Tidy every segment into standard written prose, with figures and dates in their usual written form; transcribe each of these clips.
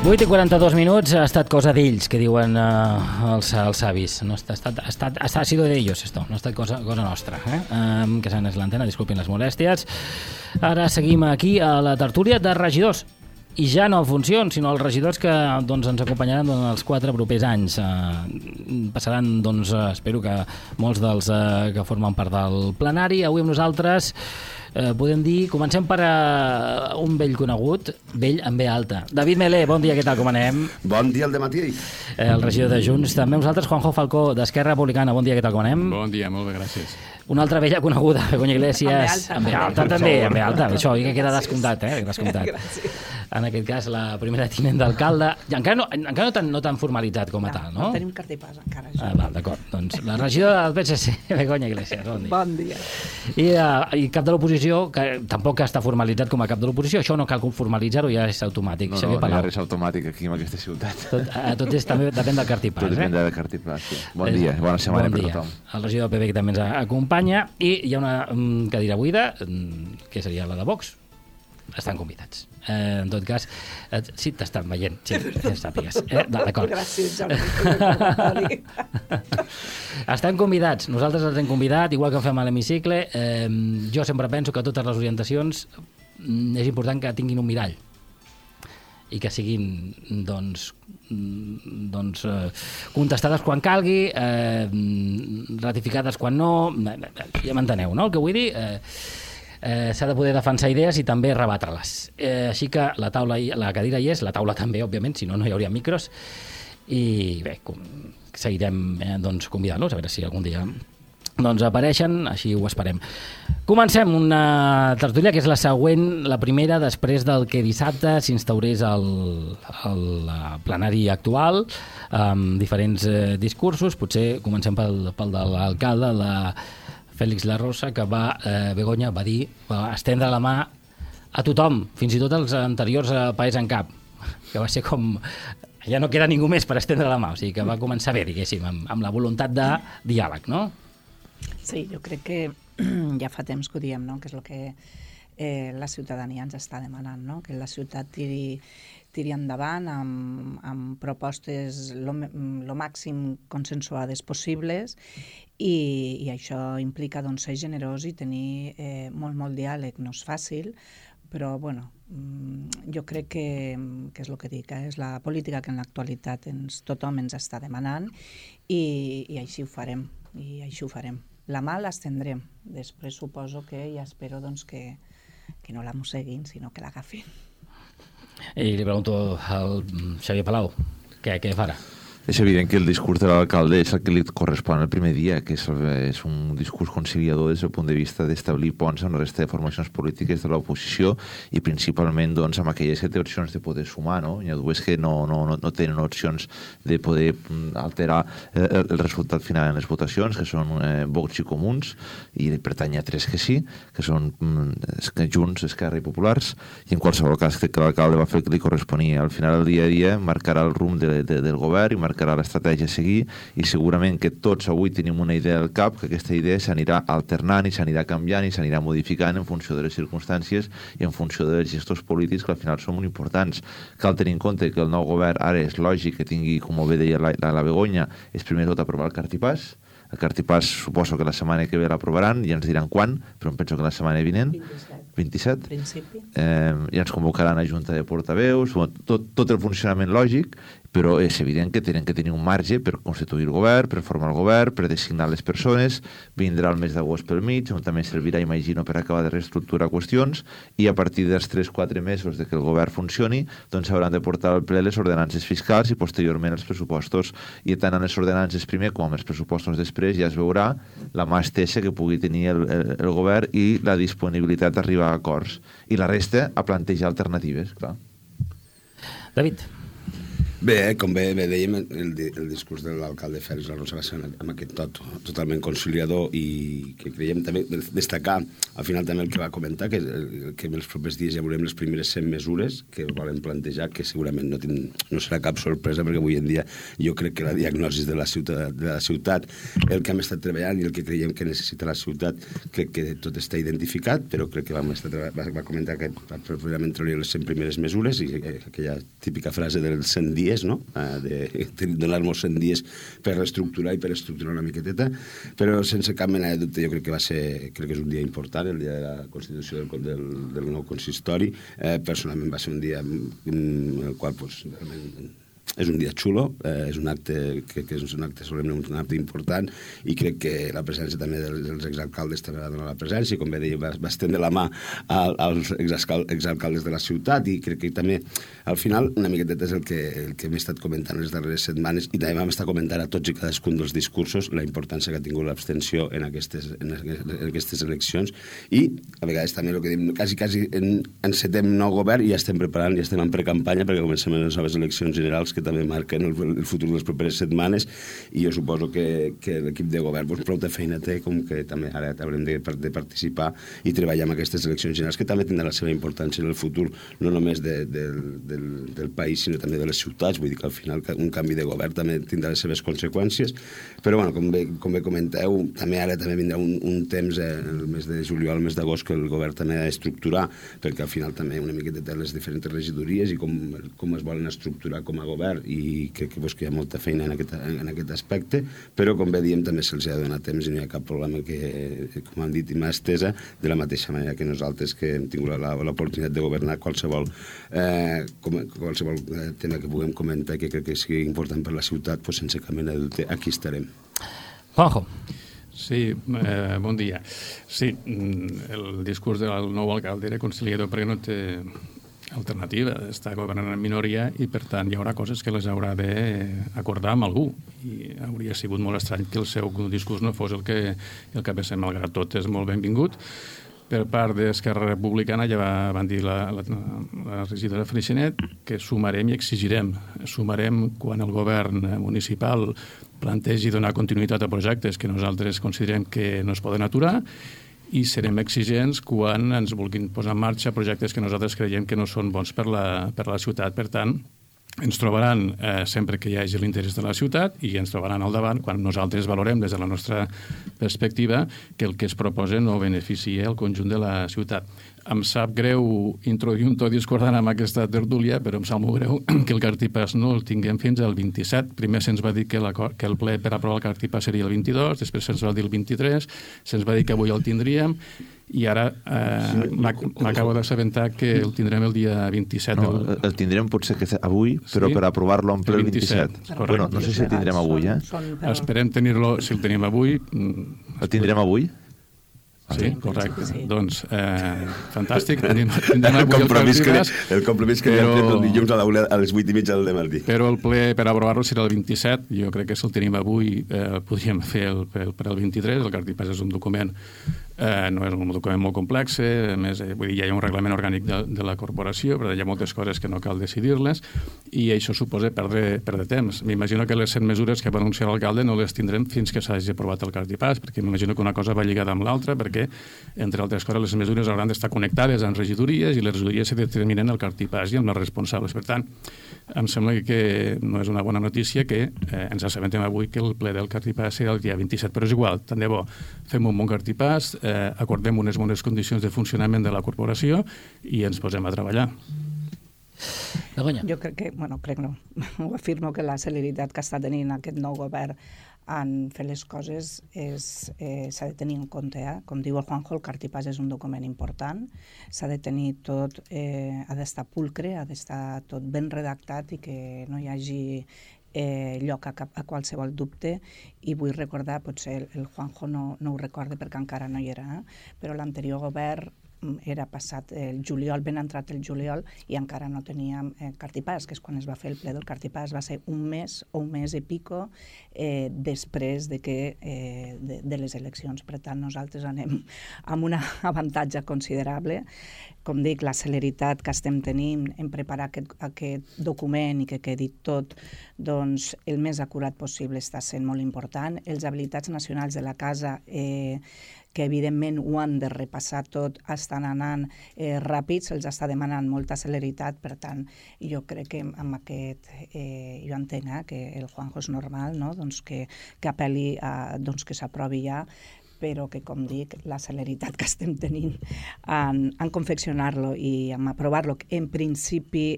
8:42, ha estat cosa d'ells, que diuen els savis. No ha sido de ellos esto, no ha estat cosa nostra. Que s'han és l'antena, disculpin les molèsties. Ara seguim aquí a la tertúlia de regidors. I ja no en funcions, sinó els regidors que ens acompanyaran els 4 propers anys. Passaran, espero que molts dels que formen part del plenari. Avui amb nosaltres podem dir, comencem per un vell conegut, vell amb B alta. David Melé, bon dia, què tal, com anem? Bon dia al dematí. El regidor de Junts. També amb nosaltres, Juanjo Falcó, d'Esquerra Republicana. Bon dia, què tal, com anem? Bon dia, molt bé, gràcies. Una altra vella coneguda, Begoña Iglesias. Amb B alta també, amb B alta. Això que queda descomptat, descomptat. En aquest cas, la primera tinent d'alcalde. Encara no tan formalitzat com a tal, no? No tenim carta i pas encara. D'acord. Doncs la regidora del PSC, Begoña Iglesias. Bon dia. I cap de l'oposició, que tampoc està formalitzat com a cap de l'oposició. Això no cal formalitzar-ho, ja és automàtic. No, hi ha res automàtic aquí en aquesta ciutat. Tot també depèn del cartipàs. Tot depèn del cartipàs, sí. Bon dia, bona setmana per tothom. El regidor del PP que també ens acompanya, i hi ha una cadira buida, que seria la de Vox. Estan convidats. En tot cas, sí, t'estan veient, sí, ja sàpigues. D'acord. Gràcies, Jordi. Estan convidats, nosaltres els hem convidat, igual que fem a l'hemicicle. Jo sempre penso que totes les orientacions és important que tinguin un mirall i que siguin contestades quan calgui, ratificades quan no, ja m'enteneu, no? El que vull dir, s'ha de poder defensar idees i també rebatre-les. Així que la cadira hi és, la taula també, òbviament, si no, no hi hauria micros, i bé, seguirem convidant-los, a veure si algun dia apareixen, així ho esperem. Comencem una tertúlia que és la següent, la primera després del que dissabte s'instaurés el plenari actual, amb diferents discursos. Potser comencem pel de l'alcalde, Félix La Rosa, que Begoña va dir, va estendre la mà a tothom, fins i tot als anteriors País en Cap, que va ser com... Ja no queda ningú més per estendre la mà, o sigui que va començar bé, diguéssim, amb la voluntat de diàleg, no? Sí, jo crec que ja fa temps que ho diem, no? Que és el que la ciutadania ens està demanant, no? Que la ciutat tiri endavant amb propostes lo màxim consensuades possibles i això implica ser generós i tenir molt diàleg. No és fàcil, però bueno, jo crec que és el que dic, és la política que en l'actualitat tothom ens està demanant i així ho farem, La mà l'estendrem, després suposo que ja espero que no la mosseguin, sinó que l'agafin. I li pregunto al Xavier Palau, què farà? És evident que el discurs de l'alcalde és el que li correspon el primer dia, que és un discurs conciliador des del punt de vista d'establir ponts amb la resta de formacions polítiques de l'oposició i principalment amb aquelles que té opcions de poder sumar, no? Hi ha dues que no tenen opcions de poder alterar el resultat final en les votacions, que són Vox i Comuns, i per tant hi ha 3 que sí, que són Junts, Esquerra i Populars, i en qualsevol cas crec que l'alcalde va fer el que li corresponia. Al final del dia a dia marcarà el rumb del govern i marcarà l'estratègia a seguir, i segurament que tots avui tenim una idea al cap, que aquesta idea s'anirà alternant i s'anirà canviant i s'anirà modificant en funció de les circumstàncies i en funció dels gestors polítics, que al final són molt importants. Cal tenir en compte que el nou govern ara és lògic que tingui, com bé deia la Begoña, és primer tot aprovar el cartipàs. El cartipàs suposo que la setmana que ve l'aprovaran i ens diran quan, però em penso que la setmana vinent 27. Ja ens convocaran a Junta de Portaveus, tot el funcionament lògic, però és evident que tenen que tenir un marge per constituir el govern, per formar el govern, per designar les persones. Vindrà el mes d'agost pel mig, on també servirà, imagino, per acabar de reestructurar qüestions, i a partir dels 3-4 mesos de que el govern funcioni, doncs s'hauran de portar al ple les ordenances fiscals i posteriorment els pressupostos, i tant en les ordenances primer com en els pressupostos després ja es veurà la mà estesa que pugui tenir el govern i la disponibilitat d'arribar a acords. I la resta a plantejar alternatives, clar. David. Bé, com bé dèiem, el discurs de l'alcalde Fèlix Larrosa va ser amb aquest tot totalment conciliador i que creiem també destacar al final també el que va comentar, que en els propers dies ja veurem les primeres 100 mesures que volen plantejar, que segurament no serà cap sorpresa, perquè avui en dia jo crec que la diagnosi de la ciutat, el que hem estat treballant i el que creiem que necessita la ciutat, crec que tot està identificat, però crec que va comentar que properament trauria les 100 primeres mesures i aquella típica frase dels 100 dies, no? De donar-nos 100 dies per reestructurar i per estructurar una miqueteta, però sense cap mena de dubte jo crec que és un dia important, el dia de la constitució del nou consistori. Personalment va ser un dia en el qual realment és un dia xulo, és un acte que és un acte solemne, un acte important, i crec que la presència també dels exalcaldes també va donar la presència, i com bé deia, va estendre la mà als exalcaldes de la ciutat, i crec que també al final una miqueta és el que hem estat comentant les darreres setmanes, i també vam estar comentant a tots i cadascun dels discursos la importància que ha tingut l'abstenció en aquestes eleccions, i a vegades també el que diem, quasi encetem nou govern i ja estem preparant, ja estem en precampanya perquè comencem les noves eleccions generals que també marquen el futur de les properes setmanes, i jo suposo que l'equip de govern prou de feina té, com que també ara haurem de participar i treballar en aquestes eleccions generals, que també tindrà la seva importància en el futur, no només del país, sinó també de les ciutats. Vull dir que al final un canvi de govern també tindrà les seves conseqüències, però bueno, com bé comenteu, ara també vindrà un temps, el mes de juliol, el mes d'agost, que el govern també ha d'estructurar, perquè al final també una miqueta té les diferents regidories i com es volen estructurar com a govern, i crec que hi ha molta feina en aquest aspecte, però com bé diem també se'ls ha de donar temps i no hi ha cap problema que, com han dit, i mà estesa, de la mateixa manera que nosaltres que hem tingut l'oportunitat de governar qualsevol tema que puguem comentar que crec que sigui important per la ciutat, doncs sense cap mena de dubte aquí estarem. Juanjo. Sí, bon dia. Sí, el discurs del nou alcalde era conciliador perquè no té alternativa, està governant en minoria i per tant hi haurà coses que les haurà d'acordar amb algú, i hauria sigut molt estrany que el seu discurs no fos el que pensem. Malgrat tot és molt benvingut. Per part d'Esquerra Republicana ja van dir la regidora Freixenet que sumarem i exigirem. Sumarem quan el govern municipal plantegi donar continuïtat a projectes que nosaltres considerem que no es poden aturar, i serem exigents quan ens vulguin posar en marxa projectes que nosaltres creiem que no són bons per la ciutat. Per tant, ens trobaran sempre que hi hagi l'interès de la ciutat, i ens trobaran al davant quan nosaltres valorem des de la nostra perspectiva que el que es proposa no beneficia el conjunt de la ciutat. Em sap greu introduir un to discordant amb aquesta tertúlia, però em sap molt greu que el cartipàs no el tinguem fins al 27. Primer se'ns va dir que el ple per aprovar el cartipàs seria el 22, després se'ns va dir el 23, se'ns va dir que avui el tindríem, i ara m'acabo d'assabentar que el tindrem el dia 27. No, el tindrem potser que avui, però per aprovar-lo en ple el 27. Bueno, no sé si el tindrem avui, Esperem tenir-lo, si el tenim avui. El tindrem avui? Sí, correcte. Sí. Doncs, fantàstic. Tindrem avui el compromís que hem fet el dilluns a les 8:30 del dematí. Però el ple per aprovar-lo serà el 27. Jo crec que si el tenim avui podríem fer per el 23. El cartipàs és un document, no és un document molt complex, a més, vull dir, ja hi ha un reglament orgànic de la corporació, però hi ha moltes coses que no cal decidir-les, i això suposa perdre temps. M'imagino que les 100 mesures que va anunciar l'alcalde no les tindrem fins que s'hagi aprovat el cartipàs, perquè m'imagino que una cosa va lligada amb l'altra, perquè, entre altres coses, les mesures hauran d'estar connectades amb regidories, i les regidories se determinen el cartipàs i amb les responsables. Per tant, em sembla que no és una bona notícia que ens assabentem avui que el ple del cartipàs serà el dia 27, però és igual, tant de bo. Fem un bon cartipàs, acordem unes bones condicions de funcionament de la corporació i ens posem a treballar. Jo crec que, ho afirmo, que la celeritat que està tenint aquest nou govern en fer les coses s'ha de tenir en compte. Com diu el Juanjo, el cartipàs és un document important, s'ha de tenir tot, ha d'estar pulcre, ha d'estar tot ben redactat i que no hi hagi lloc a qualsevol dubte. I vull recordar, potser el Juanjo no ho recorda perquè encara no hi era, però l'anterior govern era passat el juliol, ben entrat el juliol, i encara no teníem cartipàs, que és quan es va fer el ple del cartipàs. Va ser un mes o un mes i pico després de les eleccions. Per tant, nosaltres anem amb un avantatge considerable. Com dic, la celeritat que estem tenint en preparar aquest document i que quedi tot doncs, el més acurat possible està sent molt important. Els habilitats nacionals de la casa, que evidentment ho han de repassar tot, estan anant ràpid, se'ls està demanant molta celeritat, per tant, jo crec que amb aquest, jo entenc que el Juanjo és normal, no? Doncs que apel·li doncs que s'aprovi ja, però que, com dic, la celeritat que estem tenint en confeccionar-lo i en aprovar-lo, en principi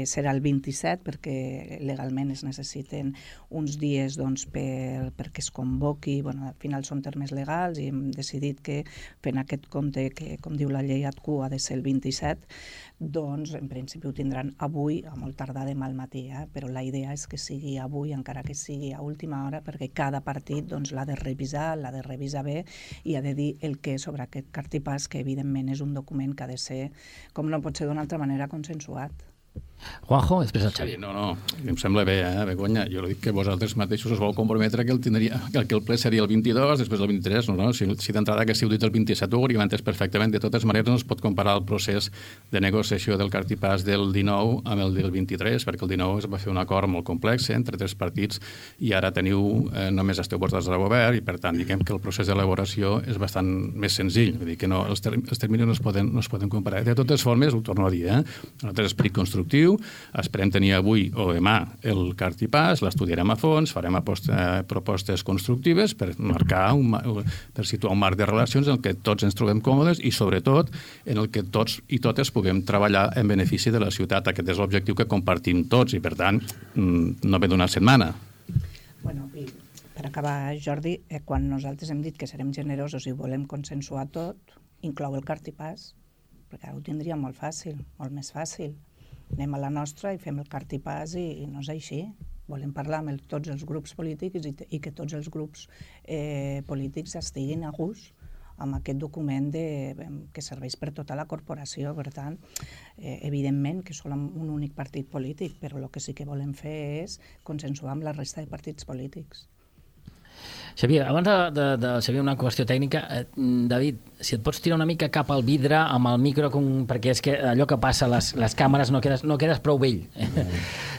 serà el 27, perquè legalment es necessiten uns dies doncs, perquè es convoqui. Bueno, al final són termes legals i hem decidit que fent aquest compte, que com diu la llei ATQ ha de ser el 27, doncs en principi ho tindran avui, a molt tardar demà al matí, però la idea és que sigui avui, encara que sigui a última hora, perquè cada partit doncs, l'ha de revisar bé i ha de dir el que és sobre aquest cartipàs, que evidentment és un document que ha de ser, com no pot ser d'una altra manera, consensuat. Juanjo, després el Xavi. Sí, no, em sembla bé, Begoña. Jo dic que vosaltres mateixos us vau comprometre que el ple seria el 22, després el 23, no? Si d'entrada que si heu dit el 27 ho hauríem entès perfectament. De totes maneres no es pot comparar el procés de negociació del cartipàs del 19 amb el del 23, perquè el 19 es va fer un acord molt complex entre 3 partits i ara només esteu portats al govern i per tant diguem que el procés d'elaboració és bastant més senzill. Vull dir que no, els terminis no es poden comparar. De totes formes, ho torno a dir, nosaltres esperit constructiu, esperem tenir avui o demà el cartipàs, l'estudiarem a fons, farem propostes constructives per per situar un marc de relacions en el que tots ens trobem còmodes i sobretot en el que tots i totes puguem treballar en benefici de la ciutat. Aquest és l'objectiu que compartim tots i per tant no ve d'una setmana. Bueno, i per acabar, Jordi, quan nosaltres hem dit que serem generosos i volem consensuar tot, inclou el cartipàs, perquè ara ho tindríem molt fàcil, molt més fàcil. Anem a la nostra i fem el cartipàs i no és així. Volem parlar amb tots els grups polítics i que tots els grups polítics estiguin a gust amb aquest document que serveix per tota la corporació. Per tant, evidentment que som un únic partit polític, però el que sí que volem fer és consensuar amb la resta de partits polítics. Xavier, abans de Xavier, una qüestió tècnica. David, si et pots tirar una mica cap al vidre amb el micro, perquè és que allò que passa a les càmeres no quedes prou vell.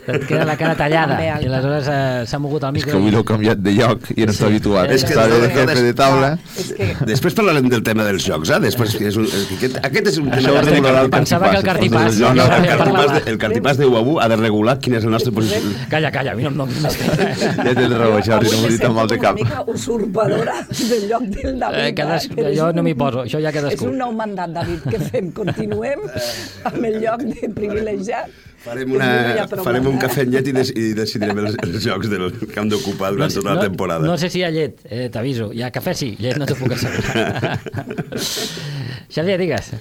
Et queda la cara tallada i aleshores s'ha mogut el micro. És que avui l'ho canviat de lloc i no està habituat. És que de jefe de taula. Després parlarem del tema dels jocs, aquest és un tema que regularà el Pensava que el cartipàs... El cartipàs de UAU ha de regular quina és la nostra posició. Calla, a mi no ja tens raó, Jordi, no m'ho dit amb mal de cap. És una mica usurpadora del lloc del David. Jo no m'hi poso, això ja cadascú. És un nou mandat, David, què fem? Continuem amb el lloc de privilegiat? Farem un cafè en llet i decidirem els jocs del que hem d'ocupar durant tota la temporada. No sé si hi ha llet, t'aviso. Hi ha cafè, sí. Llet no t'ho puc assegurar. Xavier, digues.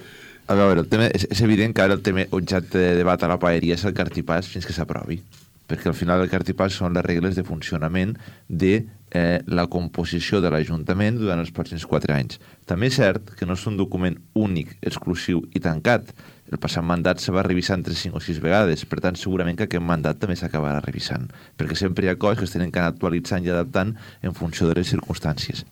A veure, és evident que ara el tema objecte de debat a la paeria és el cartipàs fins que s'aprovi. Perquè al final el cartipàs són les regles de funcionament de la composició de l'Ajuntament durant els pròxims 4 anys. També és cert que no és un document únic, exclusiu i tancat. El passat mandat se va revisar entre 5 o 6 vegades, per tant segurament que aquest mandat també s'acabarà revisant, perquè sempre hi ha coses que es tenen que anar actualitzant i adaptant en funció de les circumstàncies.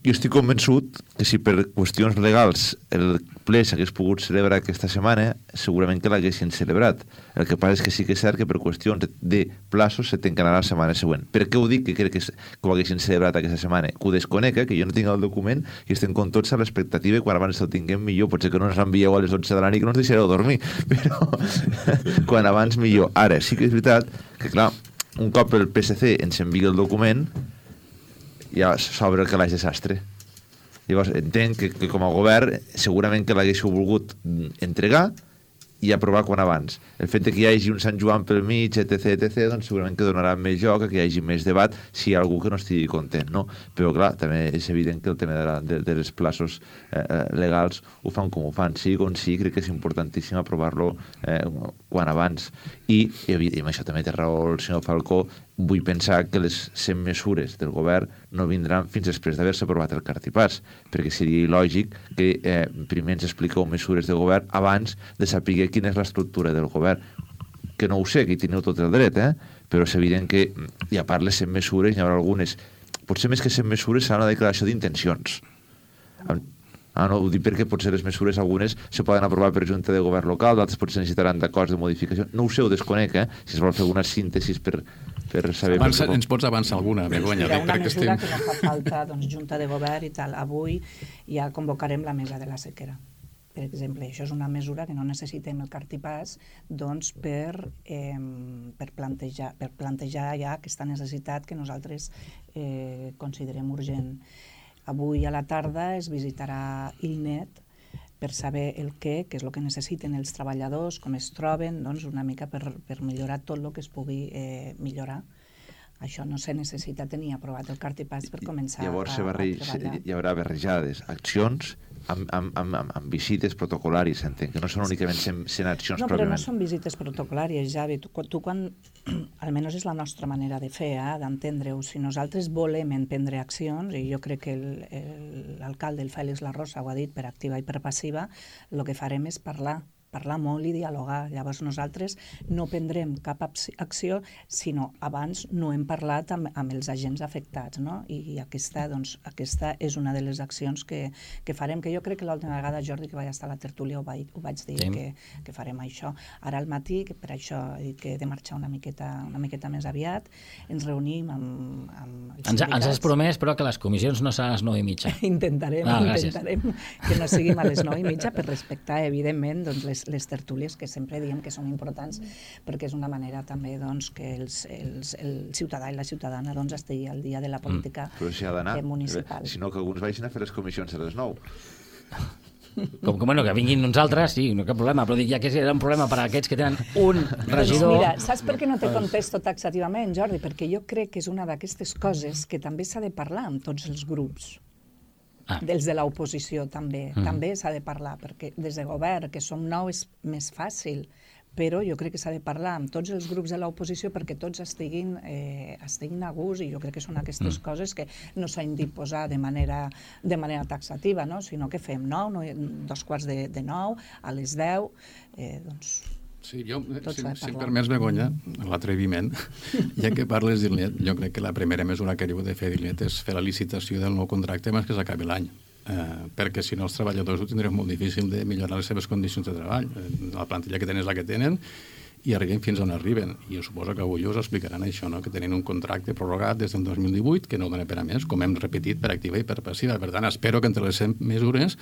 Jo estic convençut que si per qüestions legals el ple s'hagués pogut celebrar aquesta setmana, segurament que l'haguessin celebrat. El que passa és que sí que és cert que per qüestions de plaços se tancarà la setmana següent. Per què ho dic que crec que ho haguessin celebrat aquesta setmana? Que ho desconec, que jo no tinc el document i estem com tots a l'expectativa i quan abans el tinguem millor. Potser que no ens l'envieu a les 11 de la nit que no ens deixareu dormir, però quan abans millor. Ara, sí que és veritat que, clar, un cop el PSC ens envia el document, ja s'obre el calaix de sastre. Llavors, entenc que com a govern segurament que l'haguéssiu volgut entregar i aprovar quan abans. El fet que hi hagi un Sant Joan pel mig, etc., doncs segurament que donarà més joc, que hi hagi més debat, si hi ha algú que no estigui content, no? Però, clar, també és evident que el tema dels plaços legals ho fan com ho fan. Sí, com sí, crec que és importantíssim aprovar-lo quan abans. I amb això també té raó el senyor Falcó, vull pensar que les 100 mesures del govern no vindran fins després d'haver-se aprovat el cartipàs, perquè seria il·lògic que primer ens expliqueu mesures de govern abans de saber quina és l'estructura del govern, que no ho sé, que hi teniu tot el dret, però és evident que, i a part les 100 mesures, hi haurà algunes, potser més que 100 mesures serà una declaració d'intencions. No, ho dic perquè potser les mesures algunes se poden aprovar per Junta de Govern local, d'altres potser necessitaran d'acords de modificació. No ho sé, ho desconec, si es vol fer alguna síntesi per saber... Ens pots avançar alguna, Begoña? Mira, una mesura que no fa falta, doncs, Junta de Govern i tal. Avui ja convocarem la mesa de la sequera. Per exemple, això és una mesura que no necessitem el cartipàs doncs, per plantejar ja aquesta necessitat que nosaltres considerem urgent. Avui a la tarda es visitarà ILNET per saber el què és el que necessiten els treballadors, com es troben, doncs una mica per millorar tot el que es pugui millorar. Això no se necessita tenir aprovat el cartipàs per començar a treballar. Hi haurà barrejades accions amb visites protocolàries, entenc, que no són únicament 100 accions no, però pròpiament. no són visites protocolàries, Javi. Tu quan, almenys és la nostra manera de fer, d'entendre-ho, si nosaltres volem emprendre accions, i jo crec que l'alcalde, el Fèlix Larrosa, ho ha dit per activa i per passiva, el que farem és parlar molt i dialogar. Llavors nosaltres no prendrem cap acció, sinó abans no hem parlat amb els agents afectats, no? I aquesta és una de les accions que farem, que jo crec que l'última vegada, Jordi, que vaig estar a la tertúlia, ho vaig dir, que farem això. Ara al matí, que per això he dit que he de marxar una miqueta més aviat, ens reunim amb els sindicats. Ens has promès, però, que les comissions no seran a les 9:30. Intentarem que no siguin a les 9:30 per respectar, evidentment, doncs, les tertúlies que sempre diem que són importants perquè és una manera també doncs, que el ciutadà i la ciutadana doncs, estigui al dia de la política municipal. Sinó que alguns vagin a fer les comissions a les 9. Que vinguin uns altres, sí, no cap problema, però dic ja que era un problema per a aquests que tenen un regidor... Mira, saps per què no te contesto taxativament, Jordi? Perquè jo crec que és una d'aquestes coses que també s'ha de parlar amb tots els grups. Dels de l'oposició també s'ha de parlar, perquè des de govern, que som nou, és més fàcil, però jo crec que s'ha de parlar amb tots els grups de l'oposició perquè tots estiguin a gust, i jo crec que són aquestes coses que no s'han d'imposar de manera taxativa, no? Sinó que fem 9:15 a les 10, doncs... Sí, si em permets, Begoña, l'atreviment, ja que parles d'ILNET, jo crec que la primera mesura que heu de fer d'ILNET és fer la licitació del nou contracte abans que s'acabi l'any, perquè si no els treballadors ho tindrem molt difícil de millorar les seves condicions de treball. La plantilla que tenen és la que tenen i arriben fins on arriben. I jo suposo que avui us explicaran això, no? Que tenen un contracte prorrogat des del 2018 que no dona per a més, com hem repetit per activa i per passiva. Per tant, espero que entre les 100 mesures,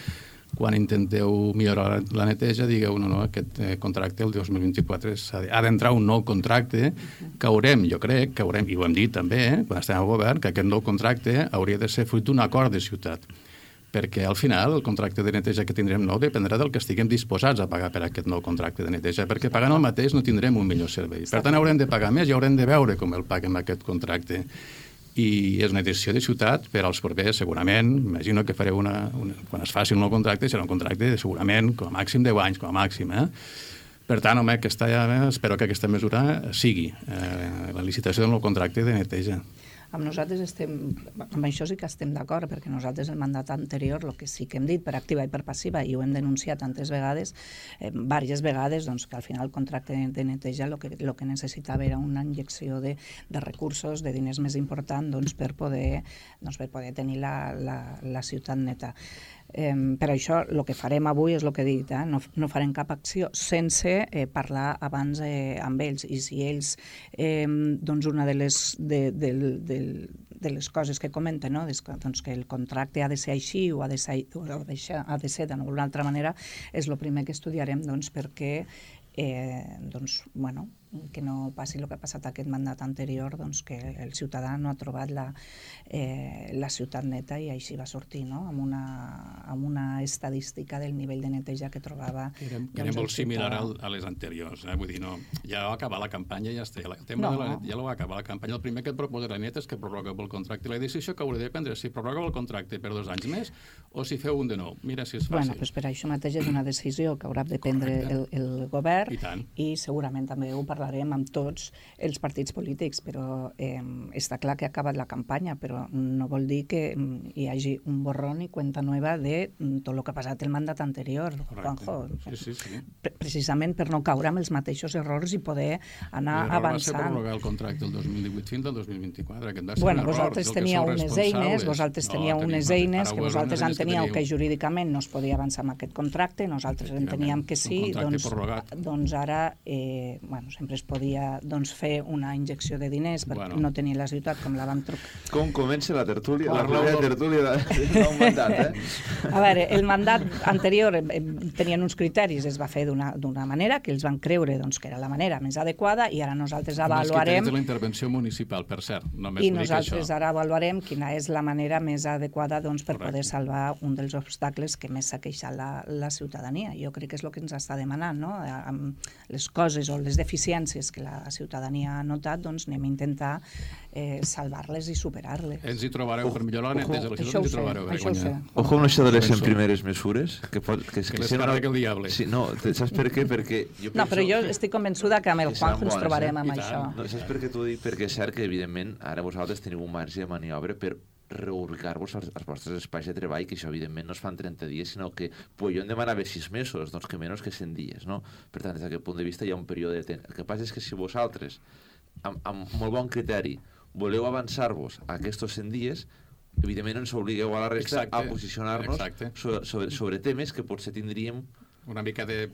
quan intenteu millorar la neteja, digueu, no, aquest contracte el 2024 ha d'entrar un nou contracte que haurem, jo crec, que haurem, i ho hem dit també, quan estem al govern, que aquest nou contracte hauria de ser fruit d'un acord de ciutat, perquè al final el contracte de neteja que tindrem nou dependrà del que estiguem disposats a pagar per aquest nou contracte de neteja, perquè pagant el mateix no tindrem un millor servei. Per tant, haurem de pagar més i haurem de veure com el paguem aquest contracte. I és una decisió de ciutat per als propers, segurament, imagino que fareu quan es faci un nou contracte, serà un contracte de segurament com a màxim 10 anys, com a màxim, Per tant, home, espero que aquesta mesura sigui la licitació del nou contracte de neteja. Amb nosaltres amb això sí que estem d'acord, perquè nosaltres el mandat anterior, el que sí que hem dit per activa i per passiva, i ho hem denunciat tantes vegades, diverses vegades, doncs, que al final el contracte de neteja el que necessitava era una injecció de recursos, de diners més important doncs, per poder tenir la ciutat neta. Per això el que farem avui és el que he dit, no farem cap acció sense parlar abans amb ells, i si ells doncs una de les coses que comenten, doncs que el contracte ha de ser així o ha de ser d'una altra manera, és el primer que estudiarem perquè que no passi el que ha passat aquest mandat anterior, que el ciutadà no ha trobat la ciutat neta, i així va sortir, amb una estadística del nivell de neteja que trobava. Era molt similar a les anteriors, vull dir, ja va acabar la campanya i ja està. El tema de la net ja va acabar la campanya. El primer que et proposa la net és que prorrogueu el contracte. La decisió que haureu de prendre és si prorrogueu el contracte per 2 anys més o si feu un de nou. Mira si és fàcil. Per això mateix és una decisió que haurà de prendre el govern, i segurament també ho parlarem parlarem amb tots els partits polítics, però està clar que ha acabat la campanya, però no vol dir que hi hagi un borrón i cuenta nueva de tot el que ha passat el mandat anterior, Juanjo. Sí. Precisament per no caure amb els mateixos errors i poder anar avançant. Va ser prorrogar el contracte del 2018 fins al 2024. Aquest va ser bueno, un error. vosaltres teníeu unes eines, que vosaltres enteníeu que jurídicament no es podia avançar amb aquest contracte, nosaltres enteníem que sí, doncs ara sempre es podia fer una injecció de diners perquè no tenia la ciutat com la vam trucar. Com comença la tertúlia? La primera tertúlia d'un mandat, A veure, el mandat anterior tenien uns criteris, es va fer d'una manera que ells van creure que era la manera més adequada i ara nosaltres avaluarem... Els criteris de la intervenció municipal, per cert, només i nosaltres ara avaluarem quina és la manera més adequada per poder salvar un dels obstacles que més s'ha queixat la ciutadania. Jo crec que és el que ens està demanant, no? Amb les coses o les deficiències que la ciutadania ha notat, anem a intentar salvar-les i superar-les. Ens hi trobareu per millorar la neteja, ens hi trobareu per guanyar. Ojo amb això de les 100 primeres mesures. Que les carrega el diable. Sí, no, saps per què? Perquè no, però jo estic convençuda que amb el Juanjo ens trobarem amb això. No, saps per què t'ho dic? Perquè és cert que, evidentment, ara vosaltres teniu un marge de maniobra per reubicar-vos als vostres espais de treball, que això evidentment no es fa en 30 dies, sinó que jo em demanava 6 mesos, doncs que menys que 100 dies, no? Per tant, des d'aquest punt de vista hi ha un període de temps. El que passa és que si vosaltres, amb molt bon criteri, voleu avançar-vos a aquests 100 dies, evidentment ens obligueu a la resta a posicionar-nos sobre temes que potser tindríem una mica de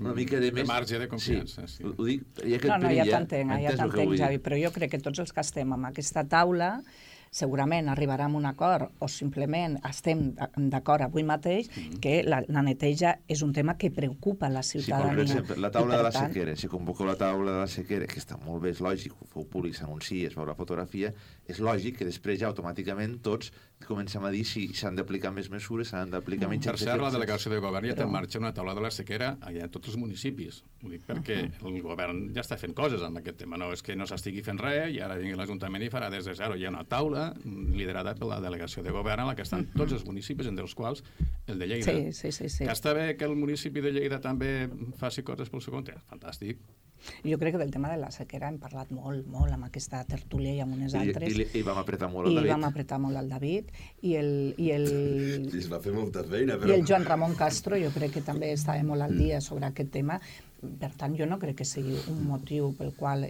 marge de confiança. Sí. Ho dic, ja t'entenc, Javi, però jo crec que tots els que estem en aquesta taula segurament arribarem a un acord o simplement estem d'acord avui mateix que la neteja és un tema que preocupa la ciutadania. Sí, per exemple, la taula de la sequera, si convoqueu la taula de la sequera, que està molt bé, és lògic, ho feu públic, s'anuncia, es veu la fotografia, és lògic que després ja automàticament tots comencem a dir si s'han d'aplicar més mesures, s'han d'aplicar menys... Per cert, la delegació de govern ja té en marxa una taula de la sequera allà a tots els municipis. Ho dic perquè el govern ja està fent coses amb aquest tema. No és que no s'estigui fent res i ara vingui l'Ajuntament i farà des de zero. Hi ha una taula liderada per la delegació de govern en la que estan tots els municipis, entre els quals el de Lleida. Sí. Que està bé que el municipi de Lleida també faci coses pel seu compte. Fantàstic. Jo crec que del tema de la sequera hem parlat molt amb aquesta tertúlia i amb unes altres. I vam apretar molt al David. I vam apretar molt al David. I es va fer molta feina. I el Joan Ramon Castro, jo crec que també estava molt al dia sobre aquest tema. Per tant, jo no crec que sigui un motiu pel qual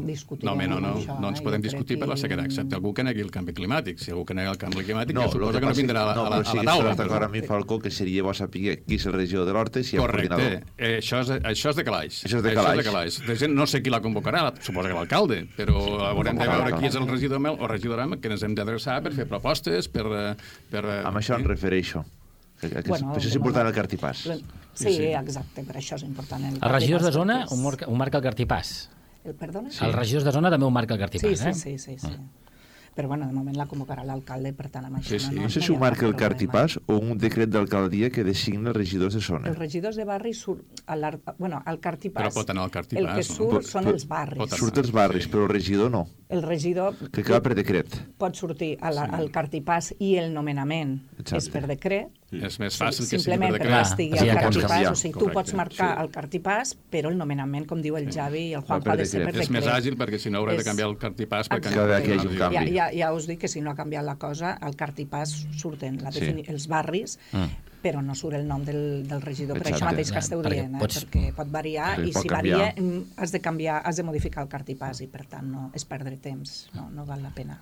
discutirem això. No ens podem discutir per la sequera, excepte algú que negui el canvi climàtic. Si algú que nega el canvi climàtic, jo suposo que no vindrà a la taula. No, però d'acord amb mi, Falcó, que seria bo saber qui és el regidor de l'Horta i si hi ha coordinador. Correcte. Això és de calaix. Això és de calaix. No sé qui la convocarà, suposo que l'alcalde, però haurem de veure qui és el regidor o regidora que ens hem d'adreçar per fer propostes, per... Amb això em refereixo. Per això és important el cartipàs. Sí, exacte, per això és important el cartipàs. Els regidors de zona ho marca el cartipàs. Perdona? Els regidors de zona també ho marca el cartipàs, Sí. Però, de moment la convocarà l'alcalde, per tant, amb això no sé si ho marca el cartipàs o un decret d'alcaldia que designa els regidors de zona. Els regidors de barri surt al cartipàs. Però pot anar al cartipàs. El que surt són els barris. Surt els barris, però el regidor no. El regidor... Que acaba per decret. Pot sortir al cartipàs i el nomenament és per decret. És més fàcil que sigui per simplement decret. perquè estigui al cartipàs. O sigui, tu pots marcar el cartipàs, però el nomenament, com diu el Javi i el Juanjo, ha de ser per decret. És més àgil perquè si no haurà de canviar el cartipàs. Ja us dic que si no ha canviat la cosa, al cartipàs surten els barris, però no surt el nom del regidor. Per això mateix que esteu dient, perquè pot variar, i si varia has de modificar el cartipàs i per tant no és perdre temps, no val la pena.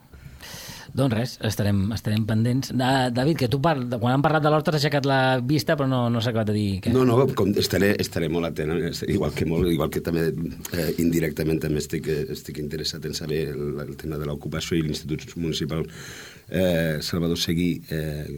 Doncs res, estarem pendents. David, que tu quan han parlat de l'Horta has aixecat la vista però no s'ha acabat de dir què. No, estaré molt atent, igual que també indirectament també estic interessat en saber el tema de l'ocupació i l'Institut Municipal Salvador Seguí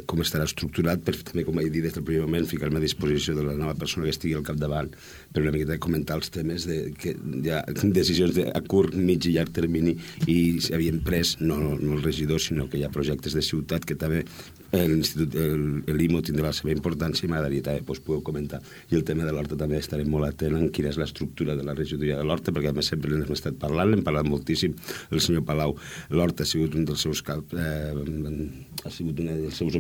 com estarà estructurat per també, com he dit des del primer moment, ficar-me a disposició de la nova persona que estigui al capdavant per una miqueta comentar els temes que hi ha decisions a curt, mig i llarg termini i s'havien pres, no el regidor, sinó que hi ha projectes de ciutat que també l'IMO tindrà la seva importància i m'agradaria també poder comentar. I el tema de l'Horta també estarem molt atent en quina és l'estructura de la regidoria de l'Horta, perquè a més sempre n'hem estat parlant, l'hem parlat moltíssim el senyor Palau. L'Horta ha sigut un dels seus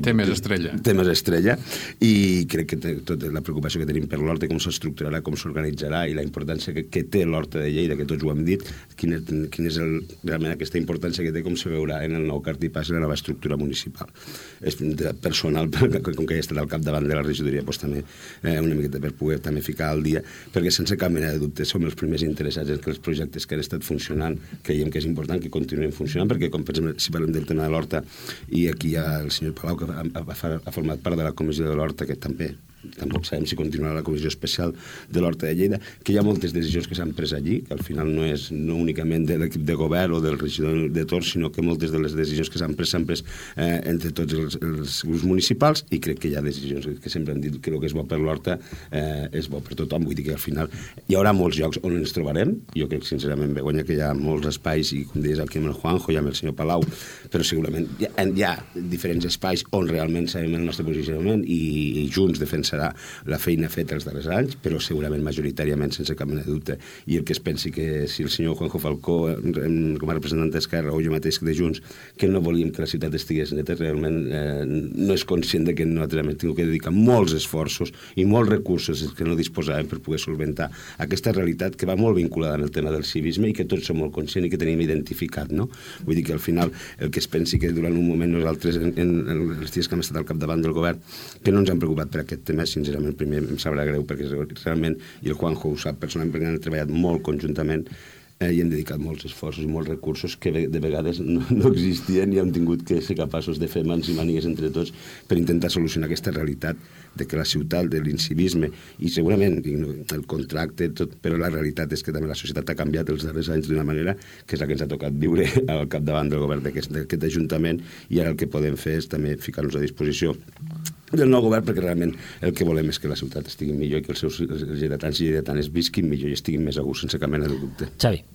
temes estrella. Temes estrella, i crec que tota la preocupació que tenim per l'Horta, com s'estructurarà, com s'organitzarà, i la importància que té l'Horta de Lleida, que tots ho hem dit, quina és realment aquesta importància que té, com se veurà en el nou cartipàs i la nova estructura municipal. És personal, com que he estat al capdavant de la regidoria, doncs també una miqueta per poder també ficar al dia, perquè sense cap mena de dubte som els primers interessats en que els projectes que han estat funcionant creiem que és important que continuïn funcionant, perquè com per exemple, si parlem del tema de l'Horta, i aquí hi ha el senyor Palau, que ha format part de la comissió de l'Horta, que tampoc sabem si continuarà la comissió especial de l'Horta de Lleida, que hi ha moltes decisions que s'han pres allí, que al final no és únicament de l'equip de govern o del regidor de Tor, sinó que moltes de les decisions que s'han pres entre tots els grups municipals, i crec que hi ha decisions que sempre han dit que el que és bo per l'Horta és bo per tothom. Vull dir que al final hi haurà molts llocs on ens trobarem. Jo crec sincerament, Begoña, que hi ha molts espais, i com deies aquí amb el Juanjo i amb el senyor Palau, però segurament hi ha diferents espais on realment sabem el nostre posicionament i junts defensarà la feina feta els darrers anys, però segurament majoritàriament, sense cap mena de dubte. I el que es pensi que si el senyor Juanjo Falcó, com a representant d'Esquerra, o jo mateix de Junts, que no volíem que la ciutat estigués neta, realment no és conscient que nosaltres hem tingut que dedicar molts esforços i molts recursos que no disposàvem per poder solventar aquesta realitat que va molt vinculada amb el tema del civisme i que tots som molt conscients i que tenim identificat, no? Vull dir que al final el que es pensi que durant un moment nosaltres, en els dies que hem estat al capdavant del govern, que no ens hem preocupat per aquest tema, sincerament, primer em sabrà greu, perquè realment, i el Juanjo ho sap personalment, perquè han treballat molt conjuntament i hem dedicat molts esforços i molts recursos que de vegades no existien i hem tingut que ser capaços de fer mans i mànigues entre tots per intentar solucionar aquesta realitat de que la ciutat, de l'incivisme, i segurament el contracte, tot, però la realitat és que també la societat ha canviat els darrers anys d'una manera que és la que ens ha tocat viure al capdavant del govern d'aquest Ajuntament, i ara el que podem fer és també ficar-nos a disposició del nou govern, perquè realment el que volem és que la ciutat estigui millor i que els seus lleidatans i lleidatanes visquin millor i estiguin més a gust, sense cap mena de dubte. Xavi.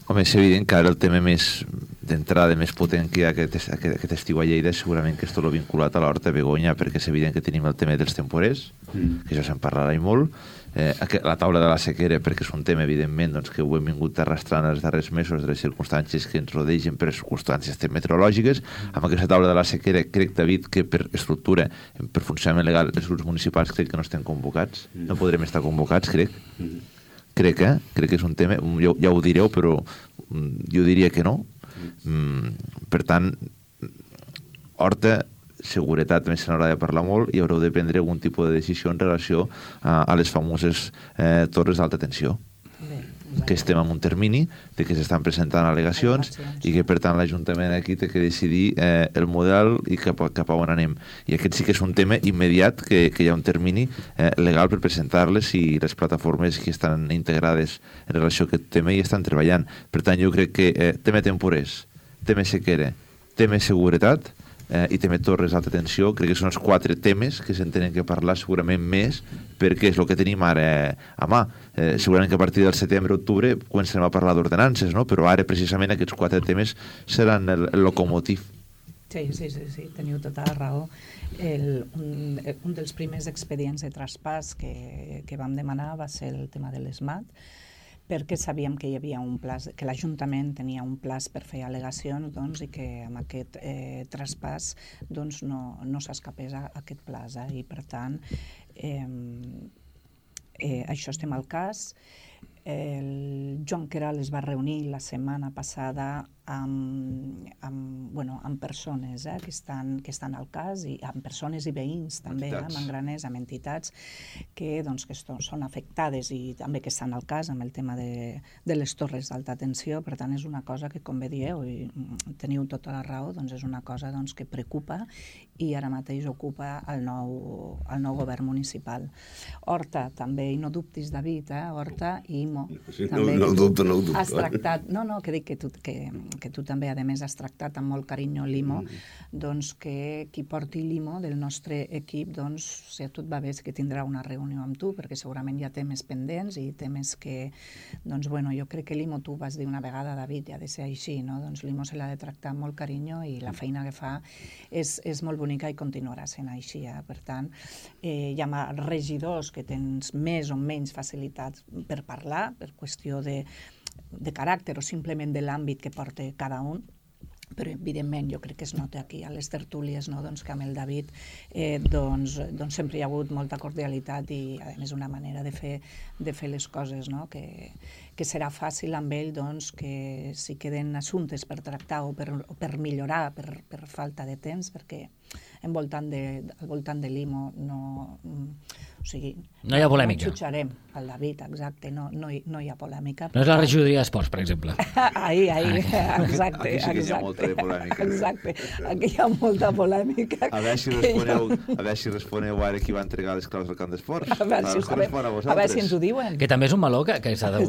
Home, és evident que ara el tema més d'entrada, més potent que hi ha aquest estiu a Lleida és segurament que és tot vinculat a l'Horta Begoña, perquè és evident que tenim el tema dels temporers, que això se'n parlarà i molt, la taula de la sequera, perquè és un tema, evidentment, doncs, que ho hem vingut arrastrant els darrers mesos de les circumstàncies que ens rodegen per circumstàncies meteorològiques. Amb aquesta taula de la sequera crec, David, que per estructura, per funcionament legal, els grups municipals crec que no estem convocats, no podrem estar convocats, crec que és un tema, ja ho direu, però jo diria que no. Per tant, Horta, seguretat també se n'haurà de parlar molt i haureu de prendre algun tipus de decisió en relació a les famoses torres d'alta tensió, que estem en un termini de que s'estan presentant al·legacions i que per tant l'Ajuntament aquí té que decidir el model i cap a on anem, i aquest sí que és un tema immediat, que hi ha un termini legal per presentar-les, i les plataformes que estan integrades en relació a aquest tema i estan treballant. Per tant, jo crec que tema temporers, tema sequera, tema seguretat i també torres d'alta tensió, crec que són els 4 temes que se'n tenen que parlar segurament més, perquè és el que tenim ara a mà. Segurament que a partir del setembre-octubre començarem a parlar d'ordenances, no? Però ara precisament aquests 4 temes seran el locomotiv. Sí, teniu tota la raó. Un dels primers expedients de traspàs que vam demanar va ser el tema de l'ESMAT, perquè sabíem que hi havia un plaç, que l'Ajuntament tenia un plaç per fer al·legacions, doncs, i que amb aquest traspàs doncs, no s'escapés a aquest plaç. I per tant, això estem al cas. El Joan Queralt es va reunir la setmana passada amb persones que estan al cas, i amb persones i veïns també, amb engraners, amb entitats que són afectades i també que estan al cas amb el tema de les torres d'alta tensió. Per tant, és una cosa que, com bé dieu, i teniu tota la raó, doncs és una cosa que preocupa i ara mateix ocupa el nou govern municipal. Horta també, i no dubtis, David, Horta i IMO. Sí, també, no ho dubto. Has tractat, que dic que tu també, a més, has tractat amb molt carinyo l'IMO, doncs que qui porti l'IMO del nostre equip, doncs, si a tu et va bé, que tindrà una reunió amb tu, perquè segurament hi ha temes pendents i temes que, doncs, bueno, jo crec que l'IMO, tu vas dir una vegada, David, ha de ser així, no? Doncs l'IMO se l'ha de tractar amb molt carinyo i la feina que fa és molt bonica i continuarà sent així. Per tant, hi ha regidors que tens més o menys facilitats per parlar, per qüestió de caràcter o simplement de l'àmbit que porta cada un, però evidentment jo crec que es nota aquí a les tertúlies, no? Doncs que amb el David doncs sempre hi ha hagut molta cordialitat i a més una manera de fer les coses, no? Que serà fàcil amb ell doncs, que si queden assumptes per tractar o per millorar per falta de temps, perquè al voltant de l'IMO no hi ha polèmica. No jutjarem el David, exacte, no hi ha polèmica. No és la regidoria d'esports, per exemple. Exacte. Aquí sí que hi ha molta de polèmica. Exacte, aquí hi ha molta polèmica. A veure si responeu ara qui va entregar les claus del camp d'esports. A veure si ens ho diuen. Que també és un meló que s'ha de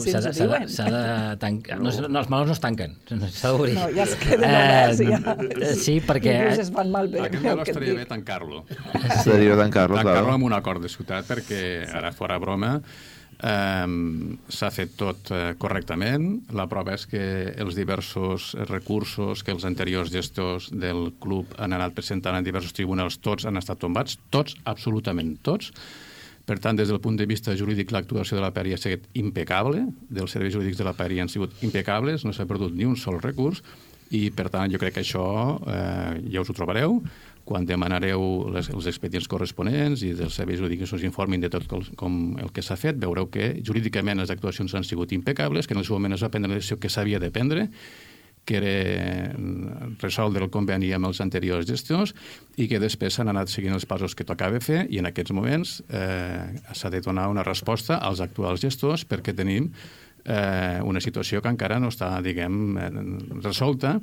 tancar. No, els melons no es tanquen, s'ha d'obrir. No, ja es queden oberts, ja. Sí, perquè... Inclús es fan malbé. Aquest meló estaria bé tancar-lo. Estaria bé tancar-lo, clar. Tancar-lo amb un acord de ciutat, perquè ara fora broma s'ha fet tot correctament. La prova és que els diversos recursos que els anteriors gestors del club han anat presentant en diversos tribunals, tots han estat tombats, tots, absolutament tots. Per tant, des del punt de vista jurídic, l'actuació de la PERI ha sigut impecable, dels serveis jurídics de la PERI han sigut impecables, no s'ha perdut ni un sol recurs, i per tant jo crec que això ja us ho trobareu. Quan demanareu els expedients corresponents i dels serveis jurídics us informin de tot com el que s'ha fet, veureu que jurídicament les actuacions han sigut impecables, que en el seu moment es va prendre la decisió que s'havia de prendre, que era resoldre el conveni amb els anteriors gestors i que després s'han anat seguint els passos que tocava fer i en aquests moments s'ha de donar una resposta als actuals gestors perquè tenim una situació que encara no està, diguem, resolta